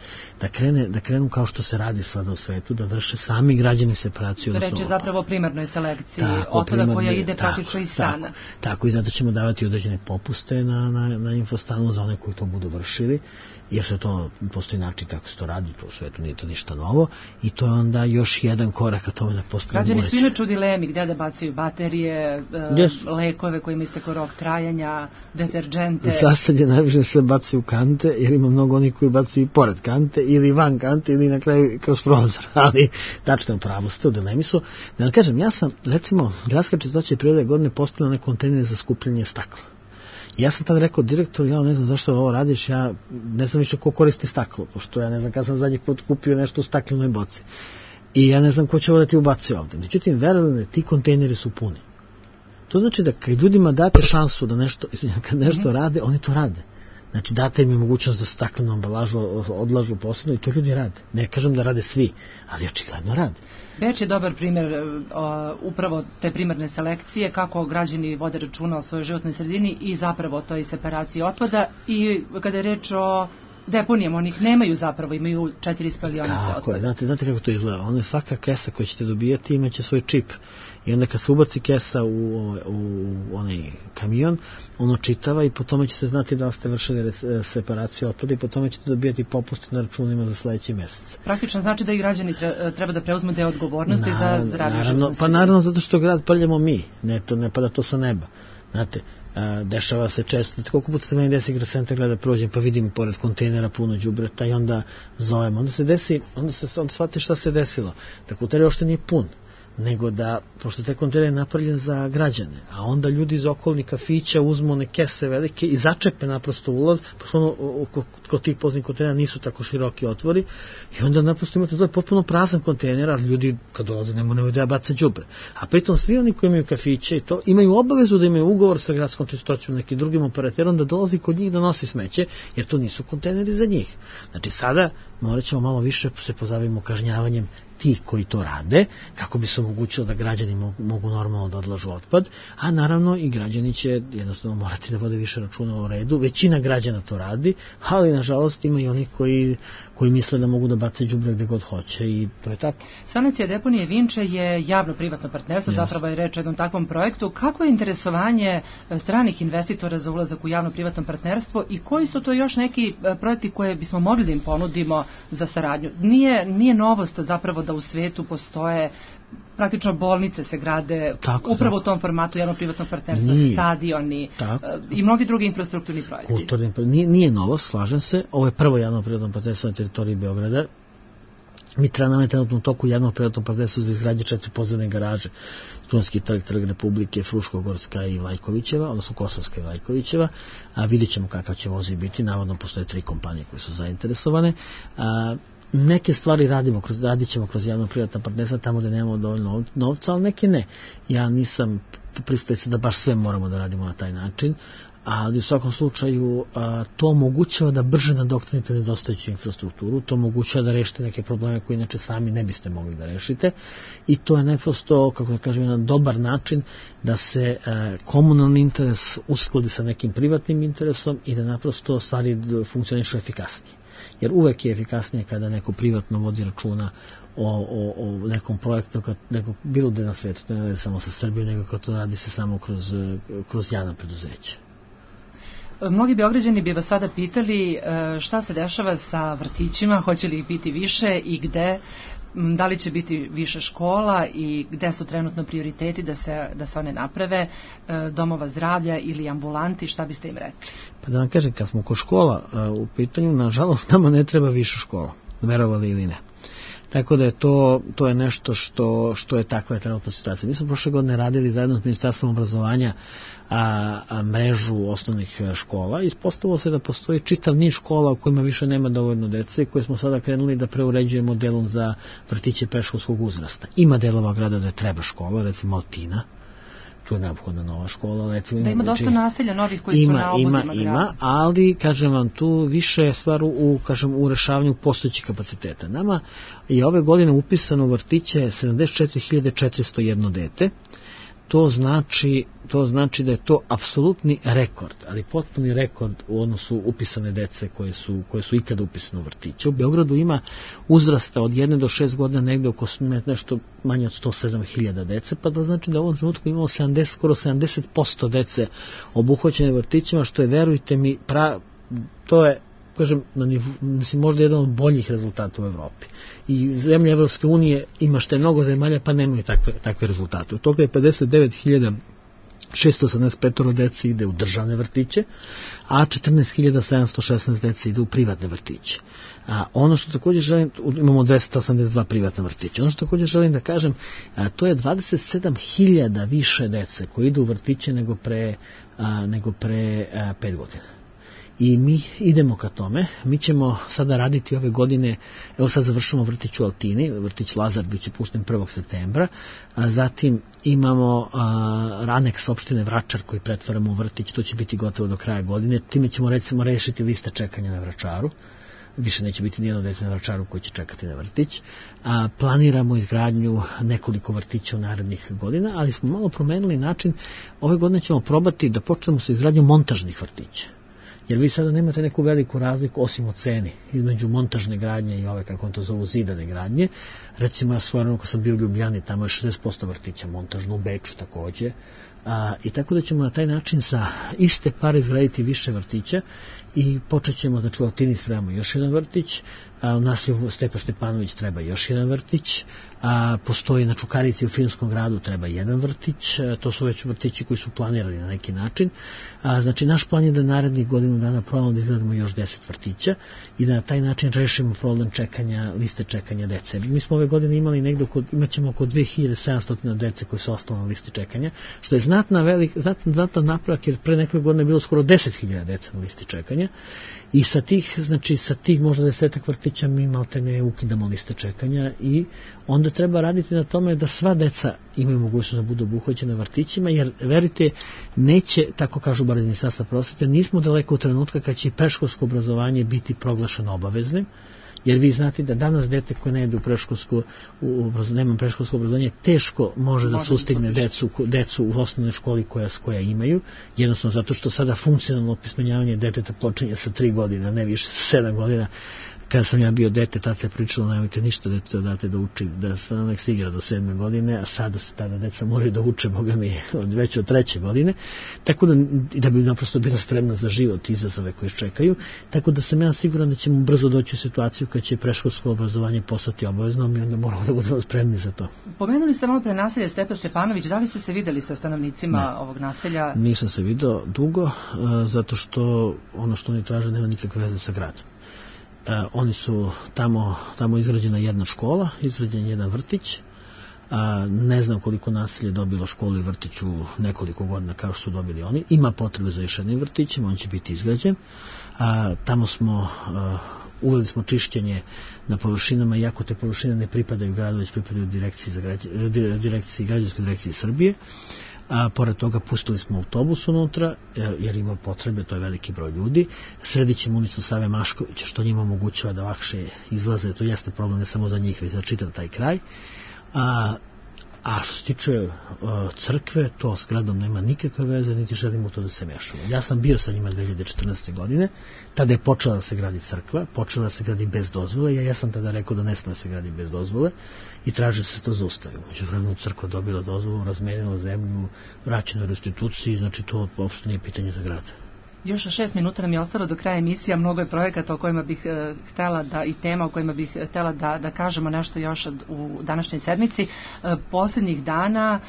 da krenu kao što se radi sada u svetu, da vrše sami građani separaciju. Reći zapravo o primarnoj selekciji otpada koja ide praktično iz stana. Tako, i zato ćemo davati određene popuste na infostanu za one koji to budu vršili, jer se to postoji način kako se to radi, to u svetu nije to ništa novo i to je onda još jedan korak ka tome da postavimo. Građani su inače u dilemi gde da bacaju baterije, lekove kojima isteko rok trajanja, deterđente. Za sad je najviše sve bacaju u kante, jer ima mnogo onih koji bacaju i pored kante ili van kante ili na kraju kroz prozor, ali tačno pravo ste u dilemi su. Da vam kažem, ja sam, recimo, gradska čistoća i prirode godine postavila one kontejnere za skupljanje stakla. Ja sam tad rekao, direktor, ja ne znam zašto ovo radiš, ja ne znam više ko koristi staklo, pošto ja ne znam kada sam zadnji put kupio nešto u staklenoj boci. I ja ne znam ko će ovo da ti ubacuje ovde. Međutim, verujem, ti kontejneri su puni. To znači da kad ljudima date šansu da kad nešto rade, oni to rade. Znači, date im mogućnost da staklenu ambalažu odlažu posebno i to ljudi rade. Ne kažem da rade svi, ali očigledno rade. Beč je dobar primjer upravo te primarne selekcije, kako građani vode računa o svojoj životnoj sredini i zapravo toj separaciji otpada i kada je reč o deponijama, onih nemaju zapravo, imaju 4 spalionice otpada. Tako je, znate kako to izgleda. Ono je svaka kesa koju ćete dobijati imaće svoj čip. I onda kad se ubaci kesa u onaj kamion, ono čitava i po tome će se znati da ste vršili separaciju otpada i po tome ćete dobijati popuste na računima za sledeći mesec. Praktično znači da i građani treba da preuzmu deo odgovornosti za zdravlje životne sredine. Pa naravno zato što grad prljamo mi, ne pada to sa neba. Znate, dešava se često, koliko puta se meni desi igra centar gleda prođem pa vidim pored kontejnera puno đubreta i onda zovem, onda se desi, onda shvati šta se desilo, da kontejner uopšte nije pun, nego da, pošto te kontejner je napravljen za građane, a onda ljudi iz okolnih kafića uzmu one kese velike i začepe naprosto ulaz, pošto kod tih poznih kontejnera nisu tako široki otvori i onda naprosto imate, to je potpuno prazan kontejner, a ljudi kad dolaze nemaju da bace đubre. A pritom svi oni koji imaju kafiće i to imaju obavezu da imaju ugovor sa gradskom čistoćom, nekim drugim operaterom da dolazi kod njih da nosi smeće, jer to nisu kontejneri za njih. Znači sada morat ćemo malo više se pozabavimo kažnjavanjem tih koji to rade, kako bi se omogućilo da građani mogu normalno da odlažu otpad, a naravno i građani će jednostavno morati da vode više računa o redu. Većina građana to radi, ali nažalost ima i oni koji misle da mogu da bace đubre gde god hoće i to je tako. Sanacija deponije Vinče je javno-privatno partnerstvo, zapravo je reč o jednom takvom projektu. Kako je interesovanje stranih investitora za ulazak u javno-privatno partnerstvo i koji su to još neki projekti koje bismo mogli da im ponudimo za saradnju? Nije novost zapravo da u svetu postoje praktično bolnice se grade upravo u tom formatu javno-privatnog partnerstva, stadioni i mnogi drugi infrastrukturni projekti. Nije novost, slažem se. Ovo je prvo javno-privatno partnerstvo na teritoriji Beograda. Mi nam je trenutno u toku javno-privatnog partnerstva za izgradnje 4 podzemne garaže. Studentski trg, Trg Republike, Fruškogorska i Vlajkovićeva, odnosno Kosovska i Vlajkovićeva. Vidjet ćemo kakav će vozi biti. Navodno postoje 3 kompanije koje su zainteresovane. Neke stvari radit ćemo kroz javno-privatna partnerstva tamo gde nemamo dovoljno novca, ali neke ne. Ja nisam pristalica da baš sve moramo da radimo na taj način, ali u svakom slučaju to omogućava da brže nadoknadite nedostajuću infrastrukturu, to omogućava da rešite neke probleme koje inače sami ne biste mogli da rešite i to je naprosto, kako da kažem, jedan dobar način da se komunalni interes uskladi sa nekim privatnim interesom i da naprosto stvari funkcionišu efikasnije. Jer uvek je efikasnije kada neko privatno vodi računa o nekom projektu, bilo gde na svetu, ne radi samo sa Srbijom, nego kada to radi se samo kroz javna preduzeća. Mnogi Beograđani bi vas sada pitali šta se dešava sa vrtićima, hoće li ih biti više i gde, da li će biti više škola i gde su trenutno prioriteti da se one naprave, domova zdravlja ili ambulanti, šta biste im rekli? Pa da vam kažem, kad smo kod škola u pitanju, nažalost nama ne treba više škola, verovali ili ne. Tako da je to je nešto što je takva trenutna situacija. Mi smo prošle godine radili zajedno s Ministarstvom obrazovanja mrežu osnovnih škola i ispostavilo se da postoji čitav niz škola u kojima više nema dovoljno dece, koje smo sada krenuli da preuređujemo delom za vrtiće predškolskog uzrasta. Ima delova grada da je treba škola, recimo Altina, tu je neophodna nova škola. Recimo, da ima dosta naselja novih koji su na obodima grada. Ima, ali, kažem vam, tu više je stvar u rešavanju postojećih kapaciteta. Nama je ove godine upisano u vrtiće 74.401 dete. To znači da je to apsolutni rekord, ali potpuni rekord u odnosu upisane dece koje su ikada upisane u vrtiće. U Beogradu ima uzrasta od 1 do 6 godina negde oko nešto manje od 107.000 dece, pa da znači da u ovom trenutku imamo skoro 70% dece obuhvaćene vrtićima, što je, verujte mi, to je, kažem, možda jedan od boljih rezultata u Evropi. I zemlje Evropske unije ima što je mnogo zemalja, pa nemaju takve rezultate. Od toga je 59.685 dece ide u državne vrtiće, a 14.716 dece ide u privatne vrtiće. Ono što također želim, imamo 282 privatna vrtića. Ono što također želim da kažem, to je 27.000 više dece koji idu u vrtiće nego pre 5 godina. I mi idemo ka tome. Mi ćemo sada raditi ove godine, evo sad završamo vrtić u Altini, vrtić Lazar biće pušten 1. septembra, zatim imamo aneks opštine Vračar koji pretvaramo u vrtić, to će biti gotovo do kraja godine, time ćemo recimo rešiti liste čekanja na Vračaru, više neće biti nijedno dete na Vračaru koji će čekati na vrtić. Planiramo izgradnju nekoliko vrtića u narednih godina, ali smo malo promenili način. Ove godine ćemo probati da počnemo sa izgradnjom montažnih vrtića. Jer vi sada nemate neku veliku razliku osim u ceni između montažne gradnje i ove, kako on to zovu, zidane gradnje. Recimo, ja stvarno, ko sam bio u Ljubljani, tamo je 60% vrtića montažno, u Beču takođe. I tako da ćemo na taj način sa iste pare izgraditi više vrtića i počet ćemo, znači u Altini spremamo još jedan vrtić, u naselju Stepa Štepanović treba još jedan vrtić, postoji na Čukarici u Filmskom gradu treba jedan vrtić, to su već vrtići koji su planirani na neki način. Znači naš plan je da narednih godinu dana probamo da izgradimo još 10 vrtića i da na taj način rešimo problem čekanja, liste čekanja dece. Mi smo ove godine imali negde, imaćemo oko 2700 dece koji su ostali na listi čekanja, što je znatan napravak, jer pre nekog godine je bilo skoro 10.000 deca na listi čekanja i sa tih možda 10 vrtića mi maltene ukidamo liste čekanja i onda treba raditi na tome da sva deca imaju mogućnost da budu obuhvaćena vrtićima, jer verite, neće, tako kažu bar iz Ministarstva prosvete, nismo daleko od trenutka kad će i predškolsko obrazovanje biti proglašeno obaveznim, Jer vi znate da danas dete koje ne ide nema predškolsko obrazovanje, teško može da sustigne decu u osnovnoj školi koja imaju, jednostavno zato što sada funkcionalno opismenjavanje deteta počinje sa 3 godine, ne više sa 7 godina. Kada sam ja bio dete, tad se pričalo, nemojte ništa dete date da uči, da se nek se igra do 7. godine, a sada se tada deca moraju da uče, boga mi, već od 3. godine, tako da bi naprosto bila spremna za život i izazove koje čekaju, tako da sam ja siguran da ćemo brzo doći u situaciju kad će predškolsko obrazovanje postati obavezno, mi onda moramo da budemo spremni za to. Pomenuli ste malo pre naselje Stepa Stepanović, da li ste se videli sa stanovnicima ovog naselja? Nisam se video dugo, zato što ono što oni traže nema nikakve veze sa gradom. Oni su tamo izgrađena jedna škola, izgrađen jedan vrtić, ne znam koliko naselje dobilo školu i vrtić u nekoliko godina kao što su dobili oni. Ima potrebe za još jednim vrtićem, on će biti izgrađen. Tamo uveli smo čišćenje na površinama, iako te površine ne pripadaju gradu, već pripadaju građanskoj direkciji Srbije. Pored toga pustili smo autobus unutra, jer ima potrebe, to je veliki broj ljudi. Sredit ćemo ulicu Save Maškovića, što njima omogućava da lakše izlaze, to jeste problem ne samo za njih, već za čitav taj kraj. A što se tiče crkve, to s gradom nema nikakve veze, niti želimo to da se mešamo. Ja sam bio sa njima 2014. godine, tada je počela da se gradi crkva, počela da se gradi bez dozvole, ja sam tada rekao da ne smije da se gradi bez dozvole i traži se to zaustavi. Međuvremenu crkva dobila dozvolu, razmenila zemlju, vraćena u restituciji, znači to uopšte nije pitanje za grad. Još 6 minuta nam je ostalo do kraja emisija, mnogo je projekata o kojima bih htela i tema o kojima bih htela da kažemo nešto još u današnjoj sedmici. Posljednjih dana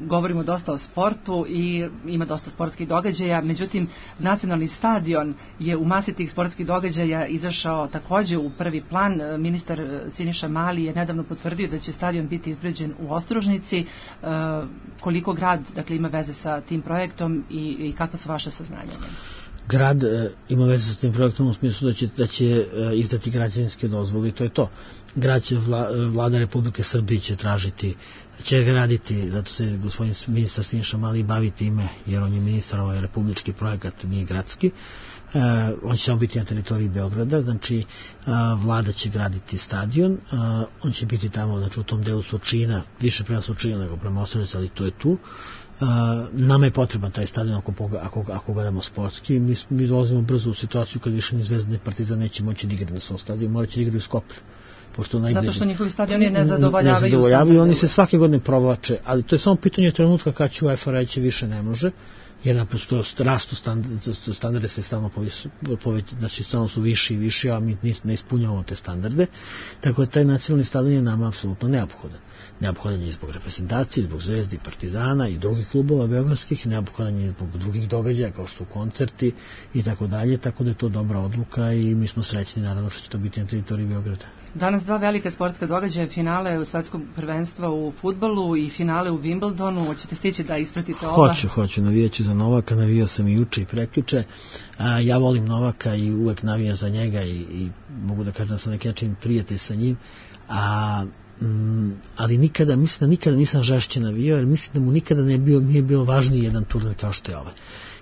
govorimo dosta o sportu i ima dosta sportskih događaja, međutim nacionalni stadion je u masi tih sportskih događaja izašao takođe u prvi plan. Ministar Siniša Mali je nedavno potvrdio da će stadion biti izgrađen u Ostružnici. Koliko grad ima veze sa tim projektom i kakva su vaše saznanja? Grad ima veze sa tim projektom u smislu da će izdati građevinske dozvole i to je to. Grad će, vlada Republike Srbije će graditi, zato se gospodin ministar Siniša Mali bavi time, jer on je ministar, ovaj republički projekat, nije gradski. On će samo biti na teritoriji Beograda, znači vlada će graditi stadion, on će biti tamo, znači u tom delu Surčina, više prema Surčina nego prema Ostružnici, ali to je tu. Nama je potreban taj stadion ako gledamo sportski. Mi dolazimo brzo u situaciju kad više ni Zvezda ni Partizan neće moći da igra na svom stadionu, morat će da igraju u Skoplju. Zato što njihovi stadioni ne zadovoljavaju. Oni se svake godine provlače, ali to je samo pitanje trenutka kad će UEFA reći više ne može, jer naprosto rastu standarde se stalno znači stalno su viši i viši, a mi ne ispunjavamo te standarde, tako da taj nacionalni stadion je nama apsolutno neophodan. Neophodan je zbog reprezentacije, zbog Zvezde i Partizana i drugih klubova beogradskih, neophodan je zbog drugih događaja kao što su koncerti i tako dalje, tako da je to dobra odluka i mi smo srećni naravno što će to biti na teritoriji Beograda. Danas 2 velike sportska događaja, finale u svetskom prvenstva u fudbalu i finale u Wimbledonu. Hoćete stići da ispratite oba? Hoću, navijaću za Novaka, navijao sam i juče i prekjuče. Ja volim Novaka i uvek navijam za njega i mogu da kažem da sam neki način prijatelj sa njim, ali mislim da nikada nisam žešće navijao, jer mislim da mu nikada nije bilo važniji jedan turnir kao što je ovaj.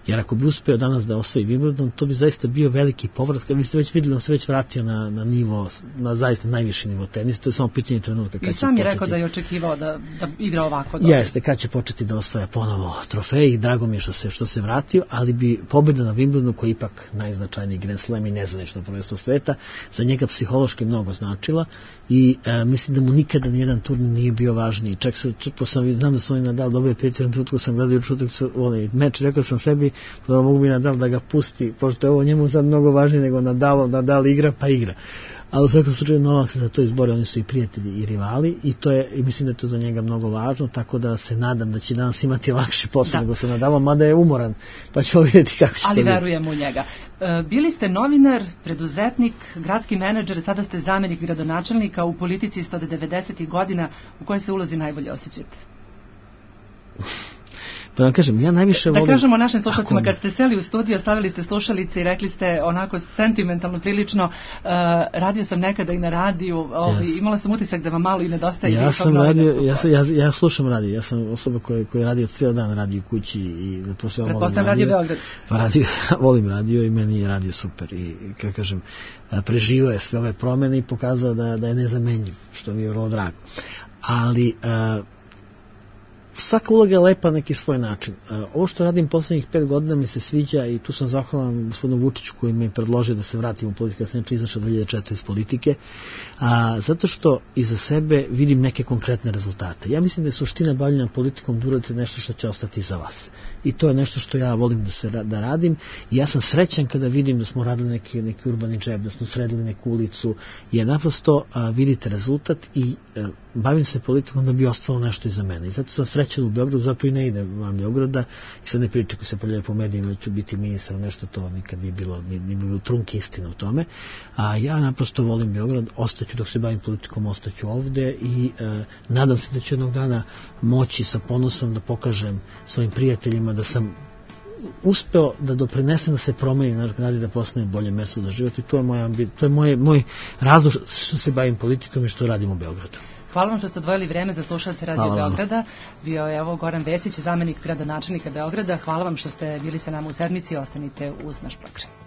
Jer ako bi uspeo danas da osvoji Wimbledon, to bi zaista bio veliki povrat. Kad biste već vidjeli, on se već vratio na nivo, na zaista najviši nivo tenisa. To je samo pitanje trenutka. I sam je rekao da je očekivao da igra ovako dobro. Jeste, kad će početi da osvaja ponovo trofej i drago mi je što se vratio, ali bi pobjeda na Wimbledonu, koji je ipak najznačajniji Grand Slam i nezvanično prvenstvo sveta, za njega psihološki mnogo značila i mislim da mu nikada nijedan turnir nije bio važniji. Čak znam da su oni Nadal dobili prijatelj, trutku sam gledao meč, rekao sam sebi, mogu bi Nadal da ga pusti, pošto je ovo njemu sad mnogo važnije nego Nadal igra pa igra. Ali u svakom slučaju Novak se za to izbori, oni su i prijatelji i rivali i mislim da je to za njega mnogo važno, tako da se nadam da će danas imati lakše posao nego se Nadalom, mada je umoran, pa ćemo vidjeti kako će to biti. Ali verujem u njega. Bili ste novinar, preduzetnik, gradski menadžer, sada ste zamenik gradonačelnika, u politici ste od 90. godina, u kojoj se ulozi najbolje osjećate? Pa vam kažem, ja najviše volim... Da kažemo našim slušalcima, kad ste seli u studio, stavili ste slušalice i rekli ste onako sentimentalno prilično, radio sam nekada i na radiju, imala sam utisak da vam malo i nedostaje. Ja slušam radio, ja sam osoba koja je radio cijel dan, radio u kući i pretpostavljam Radio Beograd. Pa volim radio i meni je radio super i kako kažem, preživao je sve ove promene i pokazao da je nezamenjiv, što mi je vrlo drago. Ali svaka uloga je lepa na neki svoj način. Ovo što radim poslednjih 5 godina mi se sviđa i tu sam zahvalan gospodinu Vučiću koji mi je predložio da se vratim u politiku, ja sam izašao 2004 iz politike, zato što iza sebe vidim neke konkretne rezultate. Ja mislim da je suština bavljenja politikom da uradite nešto što će ostati iza vas. I to je nešto što ja volim da radim i ja sam srećan kada vidim da smo radili neki urbani džep, da smo sredili neku ulicu, jer naprosto vidite rezultat i bavim se politikom da bi ostalo nešto iza mene. I zato sam srećan u Beogradu, zato i ne idem van Beograda i sad ne pričam koji se pojavljaju po medijima da ću biti ministar, nešto to nikad nije bilo trunke istine u tome. A ja naprosto volim Beograd, ostaću dok se bavim politikom, ostaću ovde i nadam se da ću jednog dana moći sa ponosom da pokažem svojim prijateljima da sam uspeo da doprinesem da se promeni naš grad i da postane bolje mesto za život i to je moj razlog što se bavim politikom i što radim u Beogradu. Hvala vam što ste odvojili vreme za slušalce Radio Beograda. Bio je Goran Vesić, zamenik gradonačelnika Beograda. Hvala vam što ste bili sa nama u sedmici i ostanite uz naš program.